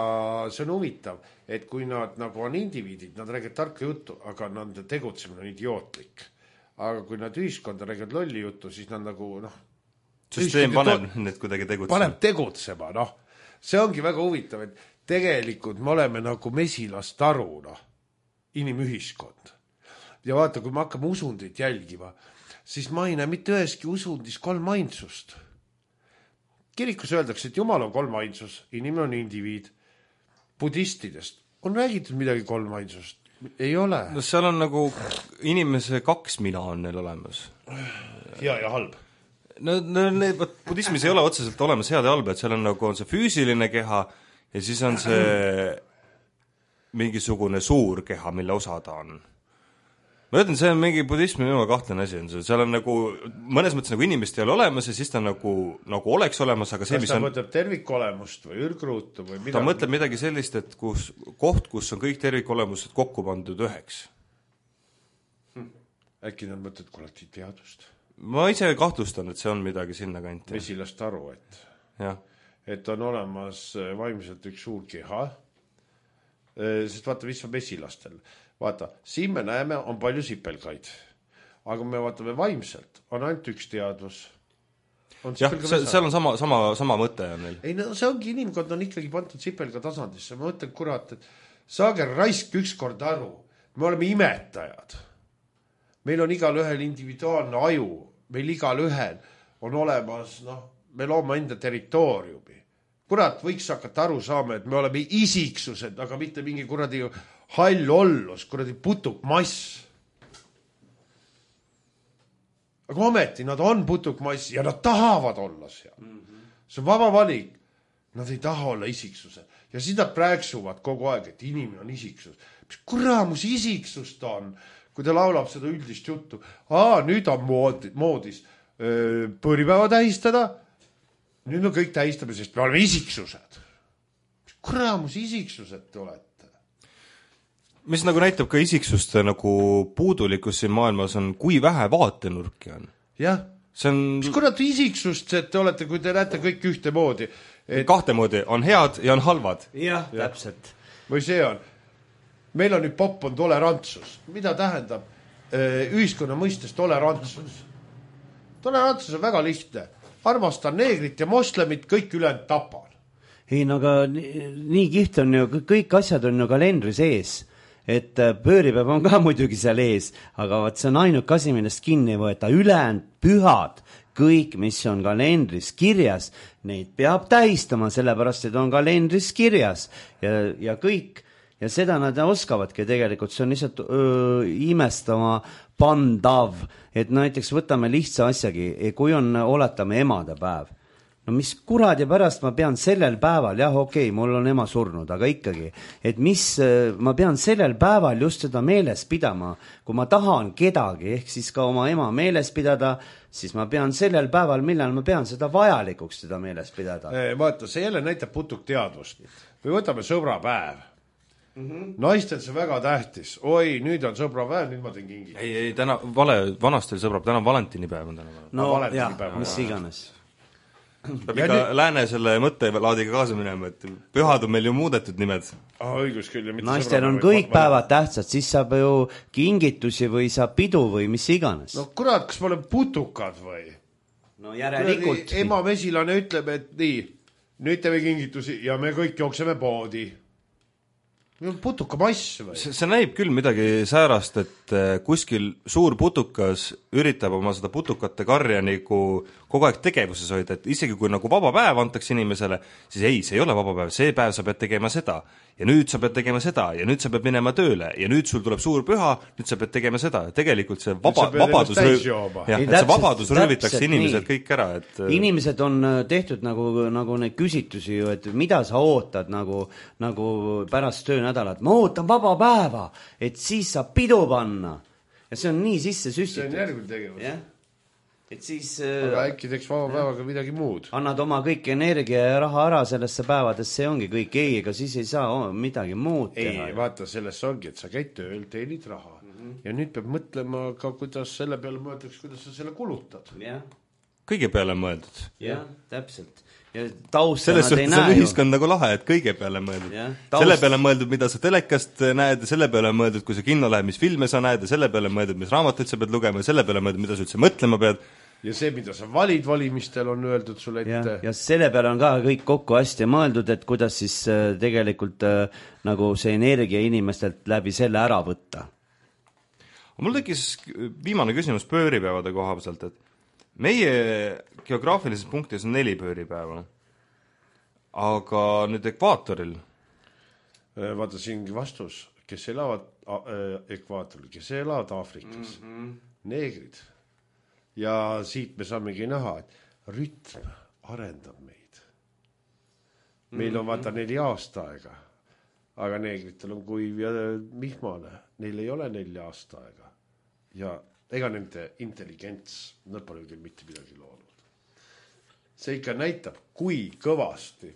see on huvitav, et kui nad nagu on indiviidid, nad räägivad tarka juttu, aga nende tegutsemine on idiootlik. Aga kui nad ühiskonda räägivad lolli juttu, siis nad nagu, noh, süsteem paneb to... need kuidagi tegutsema. Paneb tegutsema, noh. See ongi väga huvitav, et tegelikult me oleme nagu mesilast aru, noh, inimühiskond. Ja vaata, kui me hakkame usundit jälgima, siis ma ei näe mitte üheski usundis kolm ainsust. Kirikus öeldakse, et Jumal on kolm ainsus, inimene on indiviid. Budistidest on räägitud midagi kolm ainsust. Ei ole. No seal on nagu inimese kaks mina on neil olemas. Hea ja halb. No, no need, võt, budismis ei ole otseselt olemas head ja halb, et seal on nagu on see füüsiline keha ja siis on see mingisugune suur keha, mille osa ta on. Ma ütlen, see on mingi budismi minu kahtlane asi on see. Seal on nagu, mõnes mõttes nagu inimest ei ole olemas ja siis ta nagu, nagu oleks olemas, aga see, kas mis ta on... mõtleb tervikolemust või ürgruutu või midagi? Ta mõtleb midagi sellist, et kus, koht, kus on kõik tervikolemused kokku pandud üheks. Hm. Äkki nad mõtled kollektiivteadust? Ma ise kahtlustan, et see on midagi sinna kanti. Mesilast aru, et, ja. et on olemas vaimselt üks suur keha, sest vaata, mis on mesilastel. Vaata, siin me näeme, on palju sipelgaid. Aga me vaatame vaimselt, on ainult üks teadvus. On jah, see, seal on sama, sama, sama mõte on neil. Ei, no see ongi, inimkond on ikkagi pandud sipelga tasandisse. Ma mõtlen, kurat, et saage raisk ükskord aru. Me oleme imetajad. Meil on igal ühel individuaalne aju. Meil igal ühel on olemas, noh, me loome enda territooriumi. Kurat, võiks hakata aru saama, et me oleme isiksused, aga mitte mingi kuradi hall ollus, kuradi putuk mass. Aga ometi, nad on putuk mass ja nad tahavad olla seal. Mm-hmm. See on vaba valik. Nad ei taha olla isiksused. Ja siis nad prääksuvad kogu aeg, et inimene on isiksus. Mis kuramus isiksus ta on, kui ta laulab seda üldist juttu. Aa, nüüd on moodi, moodis öö, põripäeva tähistada. Nüüd me kõik tähistame, sest me oleme isiksused. Mis kuramus isiksused te olete? Mis nagu näitab ka isiksuste nagu puudulikkus siin maailmas on, kui vähe vaatenurki on. Jah. See on... Mis kurat isiksust te olete, kui te näete kõik ühte moodi? Et... Kahte moodi. On head ja on halvad. Jah, ja. Täpselt. Või see on. Meil on nüüd popp on tolerantsus. Mida tähendab ühiskonna mõistes tolerantsus? Tolerantsus on väga lihtne. Armastan neegrit ja moslemit, kõik ülejäänud tapan. Ei, no aga nii, nii kiht on ju, kõik asjad on ju kalendri sees. et pööripäev on ka muidugi seal ees, aga vaat see on ainuke asi, millest kinni ei võeta, ülejäänud pühad, kõik, mis on kalendris kirjas, neid peab tähistama, sellepärast, et on kalendris kirjas ja, ja kõik, ja seda nad oskavadki tegelikult, see on lihtsalt öö, imestama pandav, et näiteks võtame lihtsa asjagi, kui on, oletame emadepäev, no mis kuradi pärast ma pean sellel päeval, jah, okei, okay, mul on ema surnud, aga ikkagi, et mis ma pean sellel päeval just seda meeles pidama, kui ma tahan kedagi, ehk siis ka oma ema meeles pidada, siis ma pean sellel päeval, millal ma pean seda vajalikuks seda meeles pidada. Vaata, see jälle näitab putuk teadvust. Või võtame sõbrapäev. Mm-hmm. Naistel see väga tähtis. Oi, nüüd on sõbrapäev, nüüd ma teen kingi. Ei, ei, täna, vale, vanast oli sõbrab, täna Valentinipäev on täna. No jah, mis iganes. Peab ikka nüüd... lääne selle mõttelaadiga kaasa minema, et pühad on meil ju muudetud nimed. Ah, õigus küll. Naistel on kõik päevad tähtsad, siis saab ju kingitusi või saab pidu või mis iganes. No kurat, kas ma olen putukad või? No järelikult. Ema mesilane ütleb, et nii, nüüd teeme kingitusi ja me kõik jookseme poodi. Putuka mass või? See, see näib küll midagi säärast, et kuskil suur putukas üritab oma seda putukate karja nagu kogu aeg tegevuses hoida, et isegi kui nagu vaba päev antakse inimesele, siis ei, see ei ole vaba päev, see päev sa pead tegema seda ja nüüd sa pead tegema seda ja nüüd sa pead minema tööle ja nüüd sul tuleb suur püha, nüüd sa pead tegema seda. Tegelikult see vaba, vabadus, rööv... ja, see vabadus röövitakse inimesed nii. Kõik ära. Et... Inimesed on tehtud nagu, nagu neid küsitusi ju, et mida sa ootad nagu, nagu pärast töönädalat. Ma ootan vaba päeva, et siis saab pidu panna. Ja see on nii sisse süstitud. See on järgmine tegevus. Ja? Et siis, aga äkki teeks vaba päevaga midagi muud. Annad oma kõik energia ja raha ära sellesse päevades, see ongi kõik. Ei, ega siis ei saa midagi muud teha. Ei, vaata, selles ongi, et sa käid tööl, teenid raha. Mm-hmm. Ja nüüd peab mõtlema ka, kuidas selle peale mõeldaks, kuidas sa selle kulutad. Ja. Kõige peale mõeldud. Jah, täpselt. Ja taust selles suhtes on ühiskond nagu lahe, et kõige peale mõeldud. Ja, taust... Selle peale mõeldud, mida sa telekast näed, selle peale mõeldud, kui sa kinno lähed, mis filme sa näed, ja selle peale mõeldud, mis raamatuid sa pead lugema, ja selle peale mõeldud, mida sa üldse mõtlema pead. Ja see, mida sa valid valimistel, on öeldud sulle ette. Ja, ja selle peale on ka kõik kokku hästi mõeldud, et kuidas siis äh, tegelikult äh, nagu see energia inimestelt läbi selle ära võtta. Mul tekkis viimane küsimus pööripäevade koha pealt, et meie geograafilises punktis on neli pööripäeva, aga nüüd ekvaatoril? Vaata siingi vastus, kes elavad ekvaatoril, kes elavad Aafrikas, mm-hmm. neegrid. Ja siit me saamegi näha, et rütm arendab meid. Meil on vaata neli aasta aega, aga neegritel on kuiv ja mihmane, neil ei ole neli aasta aega. Ja ega nende intelligents, nad pole küll mitte midagi loonud. See ikka näitab, kui kõvasti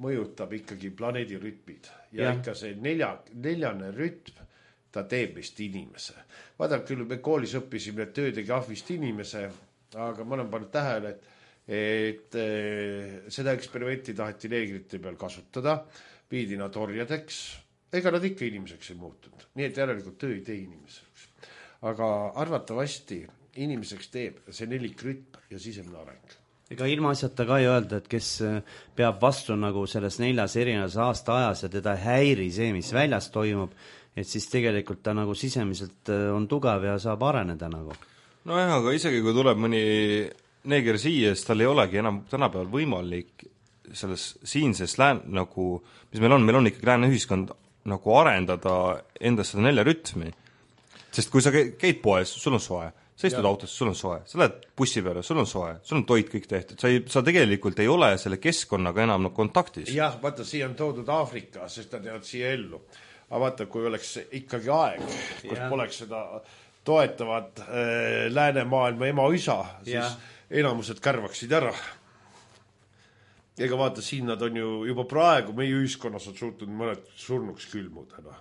mõjutab ikkagi planeedi rütmid. Ja, ja. Ikka see nelja, neljane rütm, ta teeb vist inimese. Vaadab küll, me koolis õppisime, et töö tegi ahvist inimese, aga ma olen pannud tähele, et, et e, seda eksperimenti taheti neegrite peal kasutada, viidi nad orjadeks, ega nad ikka inimeseks ei muutunud. Nii et järelikult töö ei tee inimeseks. Aga arvatavasti inimeseks teeb see nelik rütm ja sisemine areng. Ega ilma asjata ka ei öelda, et kes peab vastu nagu selles neljas erinevas aasta ajas ja teda häiri see, mis väljas toimub, et siis tegelikult ta nagu sisemiselt on tugev ja saab areneda nagu. No jah, aga isegi kui tuleb mõni neeger siia, siis tal ei olegi enam tänapäeval võimalik selles siinses lään, nagu, mis meil on, meil on ikkagi lääne ühiskond nagu arendada endas seda nelja rütmi. Sest kui sa käid poes, sul on soe, sa istud autosse, sul on soe, sa lähed bussi peale, sul on soe, sul on toit kõik tehtud, sa, ei, sa tegelikult ei ole selle keskkonnaga enam no, kontaktis. Jah, vaata, siia on toodud Aafrika, sest nad jäävad siia ellu. Aga vaata, kui oleks ikkagi aeg, kus ja. Poleks seda toetavat äh, läänemaailma ema-isa, siis ja. Enamused kärvaksid ära. Ega vaata, siin nad on ju juba praegu, meie ühiskonnas on suutnud mõned surnuks külmudena.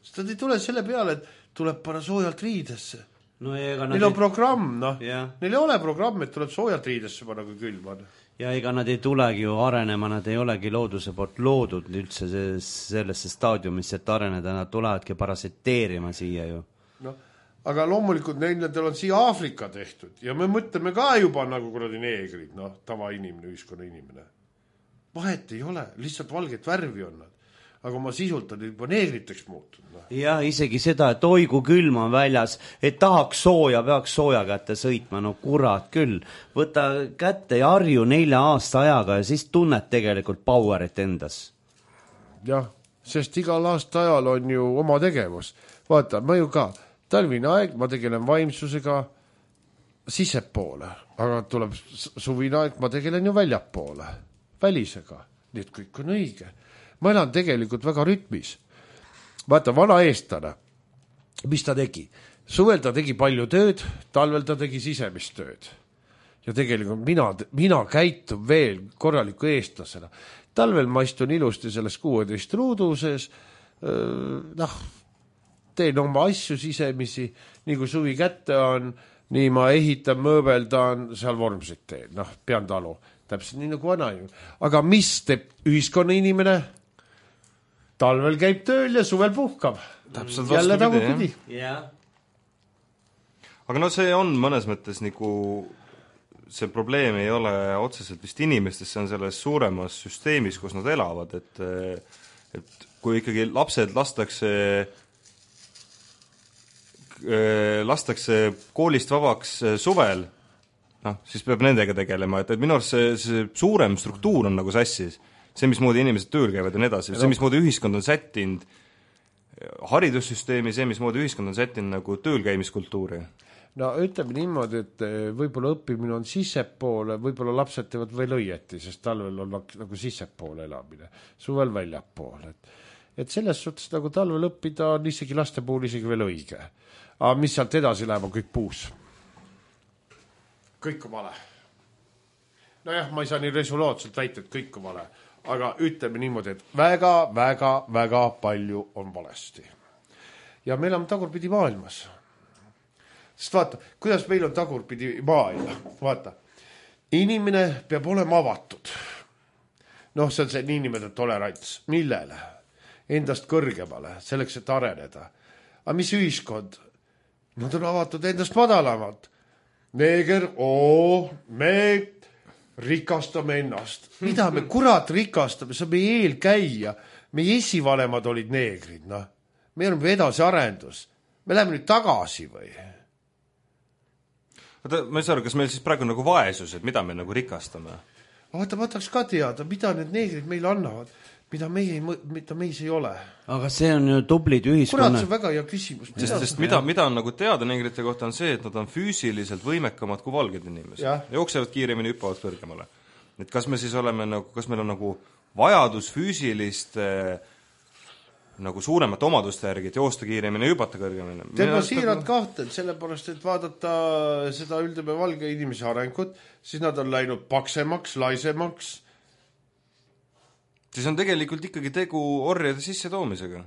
Sest nad ei tule selle peale, et tuleb panna soojalt riidesse. No, ega neil on ei... programm, noh. Ja. Neil ei ole programm, et tuleb soojalt riidesse panna, kui külm on. Ja ega nad ei tulegi ju arenema, nad ei olegi looduse poolt loodud üldse sellesse staadiumisse, et areneda, nad tulevadki parasiteerima siia ju. No, aga loomulikult neil on siia Aafrika tehtud ja me mõtleme ka juba nagu kuradi neegrid, noh, tava inimene, ühiskonna inimene. Vahet ei ole, lihtsalt valget värvi on nad. aga oma sisult on juba neegriteks muutunud. No. Ja isegi seda, et oi kui külm on väljas, et tahaks sooja, peaks sooja kätte sõitma, no kurat küll. Võta kätte ja harju nelja aasta ajaga ja siis tunned tegelikult powerit endas. Jah, sest igal aasta ajal on ju oma tegevus. Vaata, ma ju ka, talvine aeg, ma tegelen vaimsusega sisepoole, aga tuleb suvine aeg, ma tegelen ju väljapoole, välisega. Nii et kõik on õige. Ma elan tegelikult väga rütmis. Vaata, vana eestlane, mis ta tegi? Suvel ta tegi palju tööd, talvel ta tegi sisemist tööd. Ja tegelikult mina, mina käitun veel korraliku eestlasena. Talvel ma istun ilusti selles kuueteist ruuduses, noh, teen oma asju sisemisi, nii kui suvi kätte on, nii ma ehitan, mööbeldan, seal vormsid teen, noh, pean talu, täpselt nii nagu vana ju. Aga mis teeb ühiskonna inimene? Talvel käib tööl ja suvel puhkab. Täpselt jälle vastupidi, tagupidi. Yeah. Aga no see on mõnes mõttes nagu, see probleem ei ole otseselt vist inimestes, see on selles suuremas süsteemis, kus nad elavad, et, et kui ikkagi lapsed lastakse lastakse koolist vabaks suvel, noh, siis peab nendega tegelema, et, et minu arust see, see suurem struktuur on nagu sassis. See, mismoodi inimesed tööl käivad ja nii edasi, see, mismoodi ühiskond on sättinud haridussüsteemi, see, mismoodi ühiskond on sättinud nagu töölkäimiskultuuri. No ütleme niimoodi, et võib-olla õppimine on sissepoole, võib-olla lapsed teevad veel õieti, sest talvel on nagu sissepoole elamine, suvel väljapoole. Et, et selles suhtes nagu talvel õppida on isegi laste puhul isegi veel õige. Aga mis sealt edasi läheb, on kõik puus. Kõik on vale. Nojah, ma ei saa nii resoluutselt väita, et kõik on vale. Aga ütleme niimoodi, et väga, väga, väga palju on valesti. Ja me elame tagurpidi maailmas. Sest vaata, kuidas meil on tagurpidi maailma. Vaata, inimene peab olema avatud. Noh, see on see niinimetatud tolerants. Millele? Endast kõrgemale, selleks, et areneda. Aga mis ühiskond? Nad on avatud endast madalamalt. Neeger, oo, me rikastame ennast. Mida me kurat rikastame? See on meie eelkäija. Meie esivanemad olid neegrid. No. Me oleme edasi arendus. Me läheme nüüd tagasi või? Vaata, ma ei saa aru, kas meil siis praegu nagu vaesus, et mida me nagu rikastame? Vaata, ma tahaks ka teada, mida need neegrid meile annavad, mida, meie, mida meis ei ole. Aga see on ju tublid ühiskonna. Kurat, see on väga hea küsimus. Sest, sest mida, mida on nagu teada neegrite kohta on see, et nad on füüsiliselt võimekamad kui valged inimesed. Jooksevad kiiremini, hüppavad kõrgemale. Et kas me siis oleme nagu, kas meil on nagu vajadus füüsilist nagu suuremat omaduste järgi, et joosta kiiremini, hüpata kõrgemini? Teema siirad kahtel, sellepärast, et vaadata seda üldeme valge inimese arengut, siis nad on läinud paksemaks, laisemaks. Siis on tegelikult ikkagi tegu orjade sisse toomisega.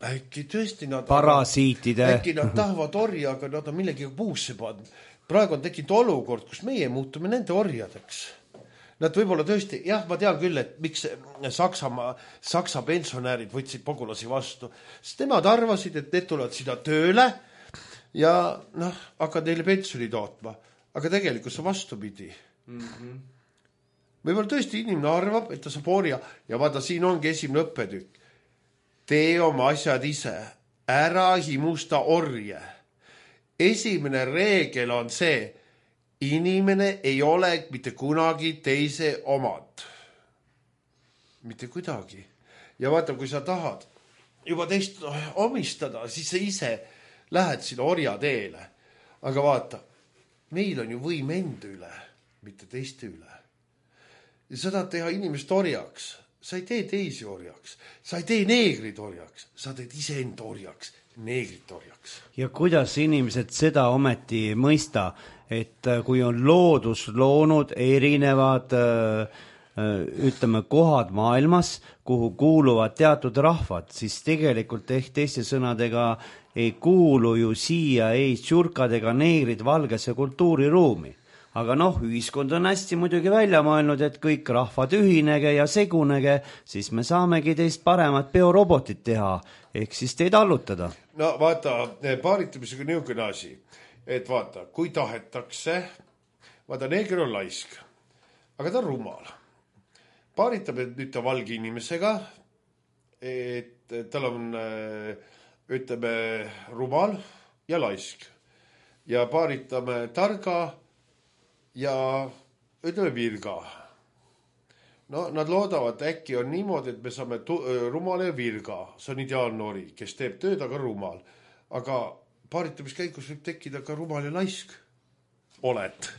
Äkki tõesti nad... Parasiitide. Äkki nad tahavad orja, aga nad on millegi puusse pannud. Praegu on tekkinud olukord, kus meie muutume nende orjadeks. Nad võib-olla tõesti, jah, ma tean küll, et miks Saksamaa, Saksa pensionäärid võtsid pagulasi vastu. Sest nemad arvasid, et need tulevad sinna tööle ja noh, hakkad neile pensioni tootma. Aga tegelikult see vastupidi. Mm-hmm. Võib-olla tõesti inimene arvab, et ta saab orja ja vaata, siin ongi esimene õppetükk. Tee oma asjad ise, ära himusta orje. Esimene reegel on see, inimene ei ole mitte kunagi teise omad. Mitte kuidagi. Ja vaata, kui sa tahad juba teist omistada, siis sa ise lähed sinna orja teele. Aga vaata, meil on ju võim enda üle, mitte teiste üle. Ja sa tahad teha inimest orjaks. Sa ei tee teisi orjaks. Sa ei tee neegrid orjaks. Sa teed ise enda orjaks, neegrid orjaks. Ja kuidas inimesed seda ometi mõista, et kui on loodus loonud erinevad ütleme kohad maailmas, kuhu kuuluvad teatud rahvad, siis tegelikult ehk teiste sõnadega ei kuulu ju siia ei tšurkad ega neegrid valgesse kultuuriruumi. Aga noh, ühiskond on hästi muidugi välja mõelnud, et kõik rahvad ühinege ja segunege, siis me saamegi teist paremat biorobotit teha, ehk siis teid allutada. No vaata, paaritumisega niisugune asi, et vaata, kui tahetakse, vaata, neeger on laisk, aga ta on rumal. Paaritab nüüd ta valge inimesega et tal on, ütleme, rumal ja laisk ja paaritame targa ja ütleme virga. No nad loodavad, äkki on niimoodi, et me saame tu- rumala ja virga. See on ideaalnoori, kes teeb tööd, aga rumal. Aga paaritamiskäigus võib tekkida ka rumal ja laisk. Oled.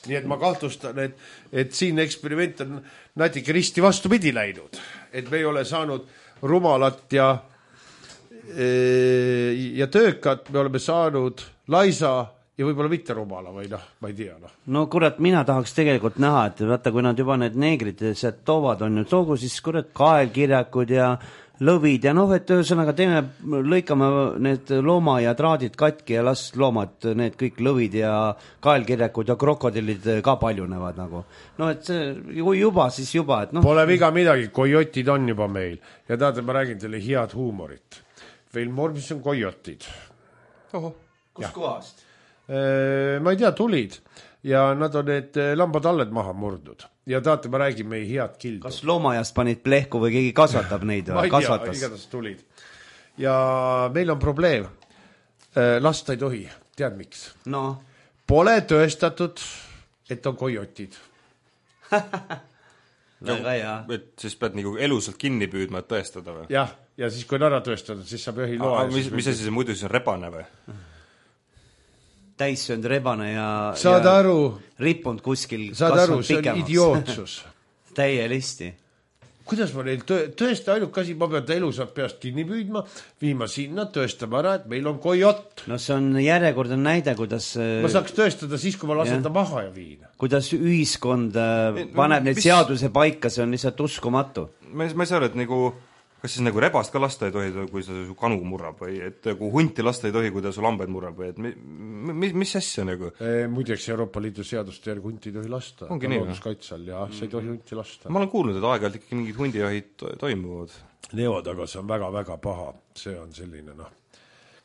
Nii et ma kahtlustan, et, et siin eksperiment on natuke risti vastupidi läinud. Et me ei ole saanud rumalat ja, ja töökat, me oleme saanud laisa ja võib-olla mitte rumala või noh, ma ei tea. No, no kurat, mina tahaks tegelikult näha, et vaata, kui nad juba need neegrid sealt toovad, on ju toogu siis kurat kaelkirjakud ja lõvid ja noh, et ühesõnaga teeme, lõikame need looma ja traadid katki ja las loomad, need kõik lõvid ja kaelkirjakud ja krokodillid ka paljunevad nagu. No et see juba siis juba, et noh. Pole viga midagi, kojotid on juba meil ja tahate, ma räägin teile head huumorit. Filmvormis on kojotid. Oho. Kus ja. Kohast? Ma ei tea, tulid ja nad on need lambadalled maha murdnud. Ja tahate, ma räägin meie head kildu. Kas loomajast panid plehku või keegi kasvatab neid? Ma ei tea, igatahes tulid. Ja meil on probleem. Lasta ei tohi. Tead miks? No. Pole tõestatud, et on kojotid. Väga hea. Et siis pead nagu elusalt kinni püüdma, et tõestada või? Jah, ja siis kui on ära tõestatud, siis saab ühi loa. Mis, mis asi see muidu siis on rebane või? Täissöönd rebane ja, saad ja aru, rippunud kuskil saad aru, see on idiootsus. Täielisti. Kuidas ma neil tõ tõesti ainult asi, ma pean ta elusalt peast kinni püüdma, viima sinna, tõestama ära, et meil on kojot. No see on järjekordne näide, kuidas ma saaks tõestada siis, kui ma lasen ja. Ta maha ja viin. Kuidas ühiskond paneb neid mis... seaduse paika, see on lihtsalt uskumatu. Ma, ma ei saa, et nagu kas siis nagu rebast ka lasta ei tohi, kui ta su kanu murrab või et kui hunti lasta ei tohi, kui ta su lambaid murrab või et mis, mis asja nagu? E, muideks Euroopa Liidu seaduste järgi hunti ei tohi lasta. Ongi nii, looduskaitsel ja sa ei tohi hunti lasta. Ma olen kuulnud, et aeg-ajalt ikkagi mingid hundijahid to toimuvad. Neod, aga see on väga-väga paha. See on selline, noh.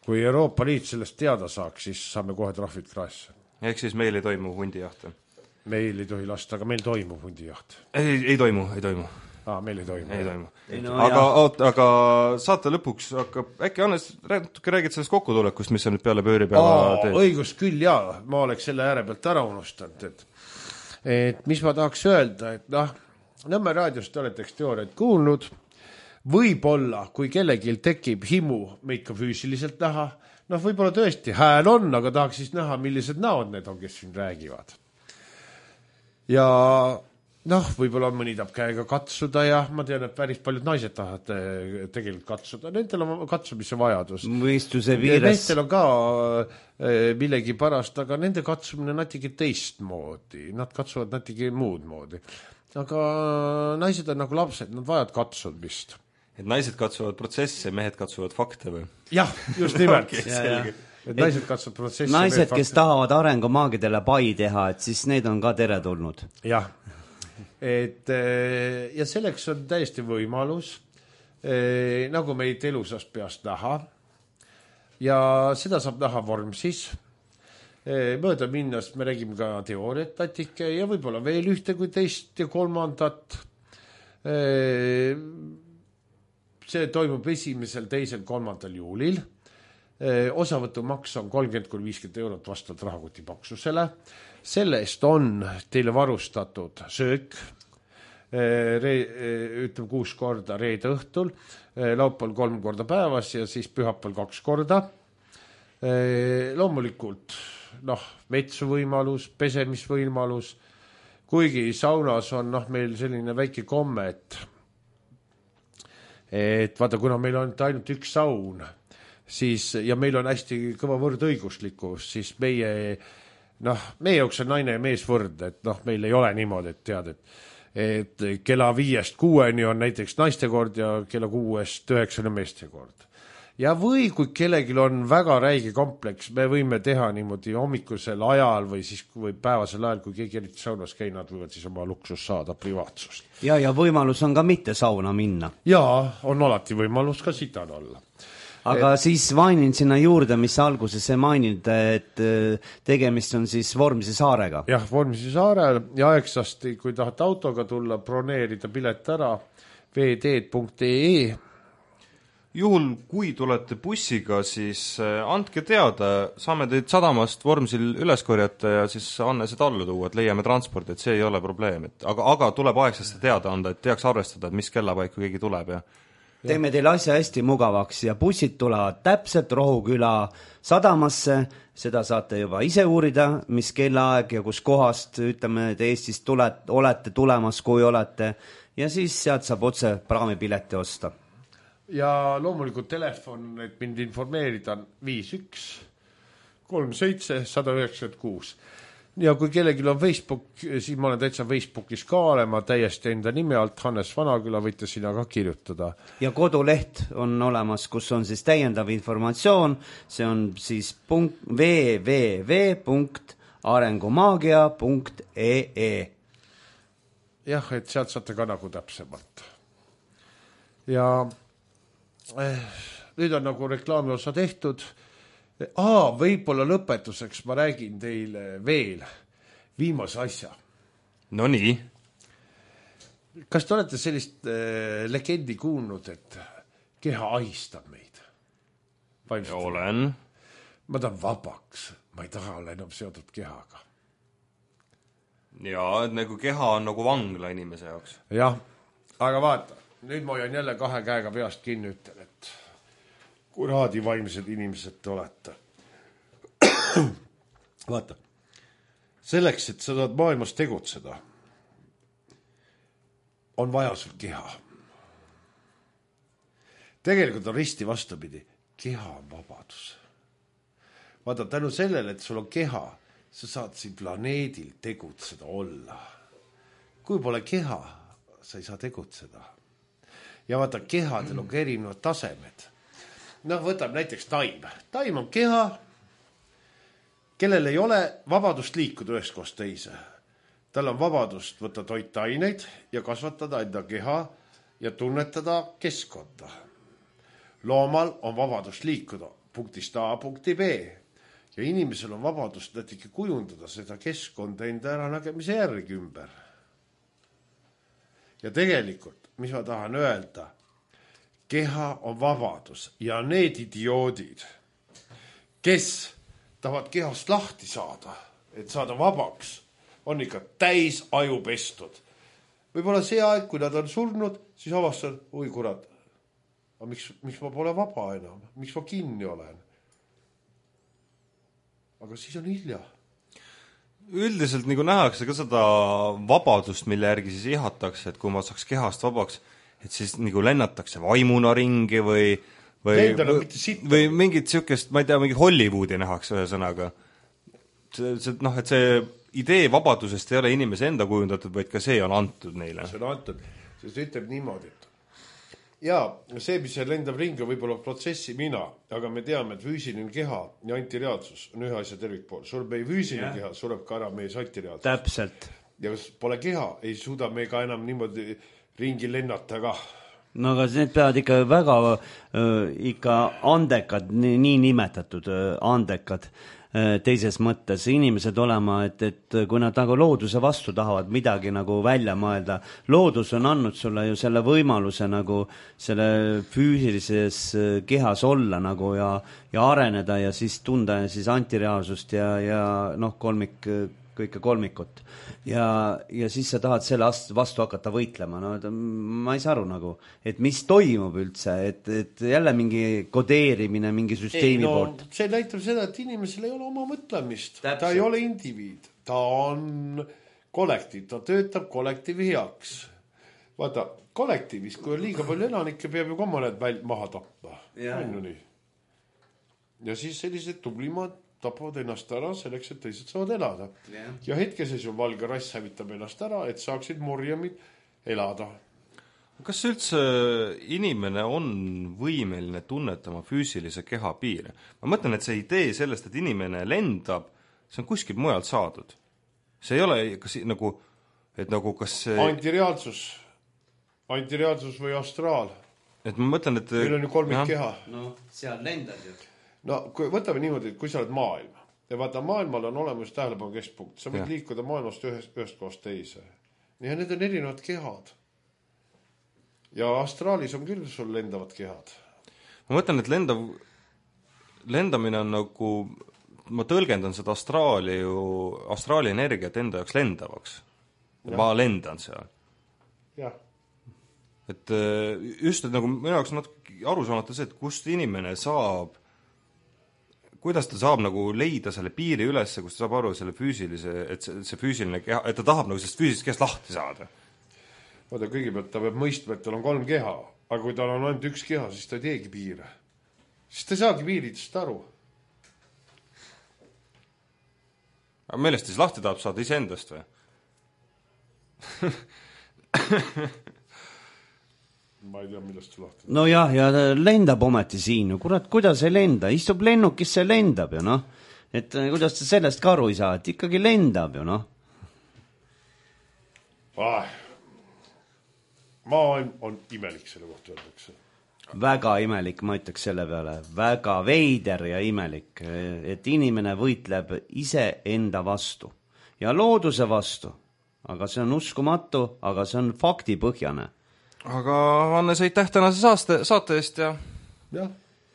Kui Euroopa Liit sellest teada saaks, siis saame kohe trahvid kraesse. Ehk siis meil ei toimu hundijaht? Meil ei tohi lasta, aga meil toimub hundijaht. Ei, ei toimu, ei toimu. Aa, meil ei toimu. Ei toimu. Ei, no, aga, oot, aga saate lõpuks hakkab, äkki Hannes, natuke räägid sellest kokkutulekust, mis on nüüd peale pööripäeva teed? Õigus küll, jaa. Ma oleks selle ääre pealt ära unustanud, et, et mis ma tahaks öelda, et noh, Nõmme raadiost olete eks teooriat kuulnud, võib-olla, kui kellegil tekib himu meid ka füüsiliselt näha, noh, võib-olla tõesti hääl on, aga tahaks siis näha, millised näod need on, kes siin räägivad. Ja noh, võib-olla mõni tahab käega katsuda ja ma tean, et päris paljud naised tahavad tegelikult katsuda. Nendel on katsumise vajadus. Mõistuse viires. Nendel on ka millegi parast, aga nende katsumine on natuke teist moodi. Nad katsuvad natuke muud moodi. Aga naised on nagu lapsed, nad vajavad katsumist. Et naised katsuvad protsesse, mehed katsuvad fakte või? Jah, just nimelt. Okay, ja, ja. Et naised katsuvad protsesse. Naised, kes tahavad arengumaagidele pai teha, et siis need on ka teretulnud. Jah. Et, ja selleks on täiesti võimalus, nagu meid elusast peast näha ja seda saab näha Vormsis. Mööda minnast me räägime ka teooriat natike ja võib-olla veel ühte kui teist ja kolmandat. See toimub esimesel, teisel, kolmandal juulil. Osavõtumaks on kolmkümmend kuni viiskümmend eurot vastavalt rahakoti paksusele. Selle eest on teile varustatud söök, ütleme kuus korda reede õhtul, laupäeval kolm korda päevas ja siis pühapäeval kaks korda. Loomulikult noh, vetsuvõimalus, pesemisvõimalus, kuigi saunas on noh, meil selline väike komme, et, et vaata, kuna meil on ainult üks saun, siis, ja meil on hästi kõva võrdõiguslikkus, siis meie noh, meie jaoks on naine ja mees võrd, et noh, meil ei ole niimoodi, et tead, et, et kella viiest kuueni on näiteks naiste kord ja kella kuuest üheksani meeste kord. Ja või kui kellelgi on väga räige kompleks, me võime teha niimoodi hommikusel ajal või siis või päevasel ajal, kui keegi eriti saunas käi, nad võivad siis oma luksus saada privaatsust. Ja, ja võimalus on ka mitte sauna minna. Jaa, on alati võimalus ka sitan olla. Aga et... siis mainin sinna juurde, mis alguses see maininud, et tegemist on siis Vormsi saarega. Jah, Vormsi saarel ja aegsasti, kui tahate autoga tulla, broneerida pilet ära, veeteed punkt ee. Juhul, kui tulete bussiga, siis andke teada, saame teid sadamast Vormsil üles korjata ja siis Anne seda allu tuua, et leiame transpordi, et see ei ole probleem. Et aga, aga tuleb aegsasti teada anda, et teaks arvestada, et mis kellapaiku keegi tuleb. Ja... Teeme teile asja hästi mugavaks ja bussid tulevad täpselt Rohuküla sadamasse, seda saate juba ise uurida, mis kellaaeg ja kus kohast, ütleme, et Eestist tulet, olete tulemas, kui olete, ja siis sealt saab otse praamipileti osta. Ja loomulikult telefon, et mind informeerida on viis üks kolm seitse üks null üheksa kuus. Ja kui kellelgi on Facebook, siis ma olen täitsa Facebookis ka olema täiesti enda nime alt, Hannes Vanaküla, võite sinna ka kirjutada. Ja koduleht on olemas, kus on siis täiendav informatsioon, see on siis punkt, double-u double-u double-u punkt arengumaagia punkt ee. Jah, et sealt saate ka nagu täpsemalt. Ja eh, nüüd on nagu reklaami osa tehtud. Aa, võib-olla lõpetuseks ma räägin teile veel viimase asja. No nii. Kas te olete sellist äh, legendi kuulnud, et keha ahistab meid? Vaimselt. Olen. Ma tahan vabaks. Ma ei taha olla enam seotud kehaga. Jaa, et nagu keha on nagu vangla inimese jaoks. Jah, aga vaata, nüüd ma hoian jälle kahe käega peast kinni, ütlen, et kuraadi vaimsed inimesed te olete. Vaata, selleks, et sa saad maailmas tegutseda, on vaja sul keha. Tegelikult on risti vastupidi. Keha on vabadus. Vaata, tänu sellele, et sul on keha, sa saad siin planeedil tegutseda olla. Kui pole keha, sa ei saa tegutseda. Ja vaata, kehadel on ka erinevad tasemed. Noh, võtab näiteks taim. Taim on keha, kellel ei ole vabadust liikuda ühest kohast teise. Tal on vabadust võtta toitaineid ja kasvatada enda keha ja tunnetada keskkonda. Loomal on vabadust liikuda punktist A punkti B ja inimesel on vabadust näiteks kujundada seda keskkonda enda äranägemise järgi ümber. Ja tegelikult, mis ma tahan öelda, keha on vabadus ja need idioodid, kes tahavad kehast lahti saada, et saada vabaks, on ikka täis aju pestud. Võib-olla see aeg, kui nad on surnud, siis avastan, oi kurat, aga miks, miks ma pole vaba enam? Miks ma kinni olen? Aga siis on hilja. Üldiselt nagu nähakse ka seda vabadust, mille järgi siis ihatakse, et kui ma saaks kehast vabaks, et siis nagu lennatakse vaimuna ringi või või, või, või mingit siukest, ma ei tea, mingit Hollywoodi nähakse ühe sõnaga. See, see, noh, et see idee vabadusest ei ole inimese enda kujundatud, vaid ka see on antud neile. See on antud, sest ütleb niimoodi, et jaa, see, mis see lendab ringi, võib-olla protsessi mina, aga me teame, et füüsiline keha ja antireaalsus on ühe asja tervikpool. Sureb meie füüsiline keha, sureb ka ära meie antireaalsus. Täpselt. Ja kas pole keha, ei suuda me ka enam niimoodi ringi lennata ka. No aga need peavad ikka väga äh, ikka andekad, nii nimetatud äh, andekad äh, teises mõttes inimesed olema, et, et kui nad nagu looduse vastu tahavad midagi nagu välja mõelda, loodus on andnud sulle ju selle võimaluse nagu selle füüsilises kehas olla nagu ja, ja areneda ja siis tunda ja siis antireaalsust ja, ja noh, kolmik kõike kolmikut. Ja, ja siis sa tahad selle vastu hakata võitlema. No, ma ei saa aru nagu, et mis toimub üldse, et, et jälle mingi kodeerimine mingi süsteemi ei, no, poolt. See näitab seda, et inimesel ei ole oma mõtlemist. Täpselt. Ta ei ole indiviid. Ta on kollektiiv. Ta töötab kollektiivi heaks. Vaata, kollektiivis, kui on liiga palju elanikke, peab ju ka mõned väl maha tappa. Ja. ja siis sellised tublimad tapavad ennast ära selleks, et teised saavad elada. Yeah. Ja hetkeses ju valge rass hävitab ennast ära, et saaksid morjamid elada. Kas üldse inimene on võimeline tunnetama füüsilise keha piire? Ma mõtlen, et see idee sellest, et inimene lendab, see on kuskil mujalt saadud. See ei ole kas, nagu, et nagu kas see... Antireaalsus. Antireaalsus või astraal. Et ma mõtlen, et... Meil on ju kolmik keha. No, seal lendad ju. No, kui võtame niimoodi, et kui sa oled maailm, ja vaata, maailmal on olemas tähelepanu keskpunkt, sa võid ja. liikuda maailmast ühest, ühest kohast teise. Ja need on erinevad kehad. ja astraalis on küll sul lendavad kehad. Ma mõtlen, et lendav, lendamine on nagu, ma tõlgendan seda astraali ju, astraali energiat enda jaoks lendavaks. Ma lendan seal. Jah. Et just, et nagu minu jaoks natuke aru saamata see, et kust inimene saab, kuidas ta saab nagu leida selle piiri üles, kus ta saab aru selle füüsilise, et see, see füüsiline keha, et ta tahab nagu sellest füüsilisest kehast lahti saada. Vaata, kõigepealt ta peab mõistma, et tal on kolm keha, aga kui tal on ainult üks keha, siis ta ei teegi piire. Siis ta ei saagi piiridest aru. Aga millest siis lahti tahab saada iseendast või? Ma ei tea, millest su lahti. No jah, ja lendab ometi siin. Kurat, kuidas ei lenda? Istub lennukisse, lendab ju, noh. Et kuidas ta sellest ka aru ei saa, et ikkagi lendab ju, noh. Ah, maailm on imelik selle kohta öeldakse. Väga imelik, ma ütleks selle peale. Väga veider ja imelik, et inimene võitleb ise enda vastu ja looduse vastu. Aga see on uskumatu, aga see on faktipõhjane. Aga Hannes, aitäh tänase saaste, saate eest ja... Jah,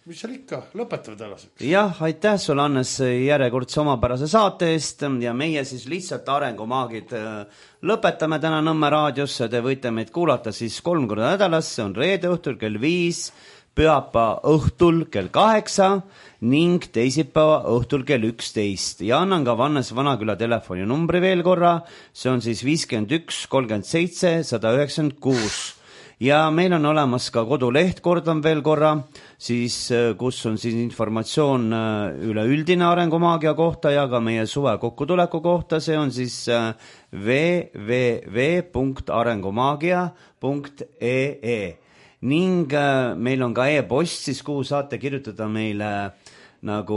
mis seal ikka, lõpetame tänaseks. Jah, aitäh sulle, Hannes, järjekordse omapärase saate eest ja meie siis lihtsalt arengumaagid lõpetame täna Nõmme raadiosse. Te võite meid kuulata siis kolm korda nädalas, see on reede õhtul kell viis, pühapa õhtul kell kaheksa ning teisipäeva õhtul kell üksteist. Ja annan ka Hannes Vanaküla telefoni numbri veel korra, see on siis viiskümmend üks kolmkümmend seitse sada üheksakümmend kuus. Ja meil on olemas ka koduleht, kordan veel korra, siis, kus on siis informatsioon üleüldine arengumaagia kohta ja ka meie suve kokkutuleku kohta, see on siis w w w punkt arengumaagia punkt e e. Ning meil on ka e-post, siis kuhu saate kirjutada meile nagu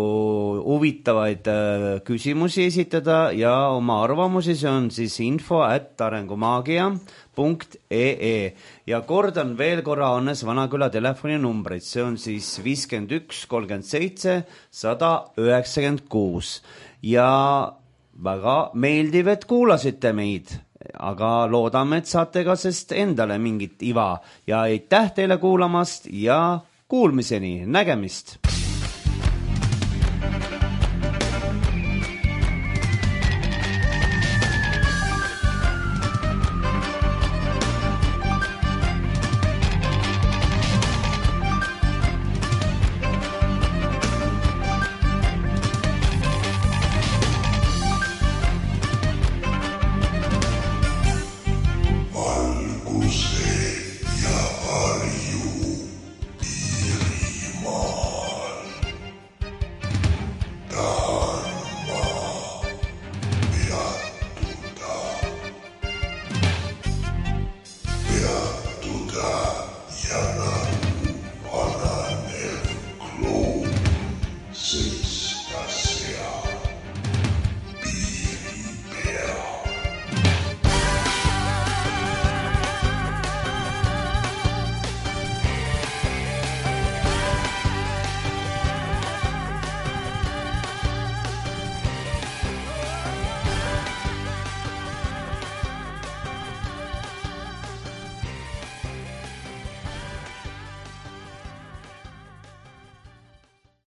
huvitavaid küsimusi esitada ja oma arvamusi, see on siis info at arengumaagia punkt e e. Ja kordan veel korra Hannes Vanaküla telefoni numbreid, see on siis viiskümmend üks kolmkümmend seitse sada üheksakümmend kuus. Ja väga meeldiv, et kuulasite meid. Aga loodame, et saate ka sest endale mingit iva ja aitäh teile kuulamast ja kuulmiseni, nägemist! Ja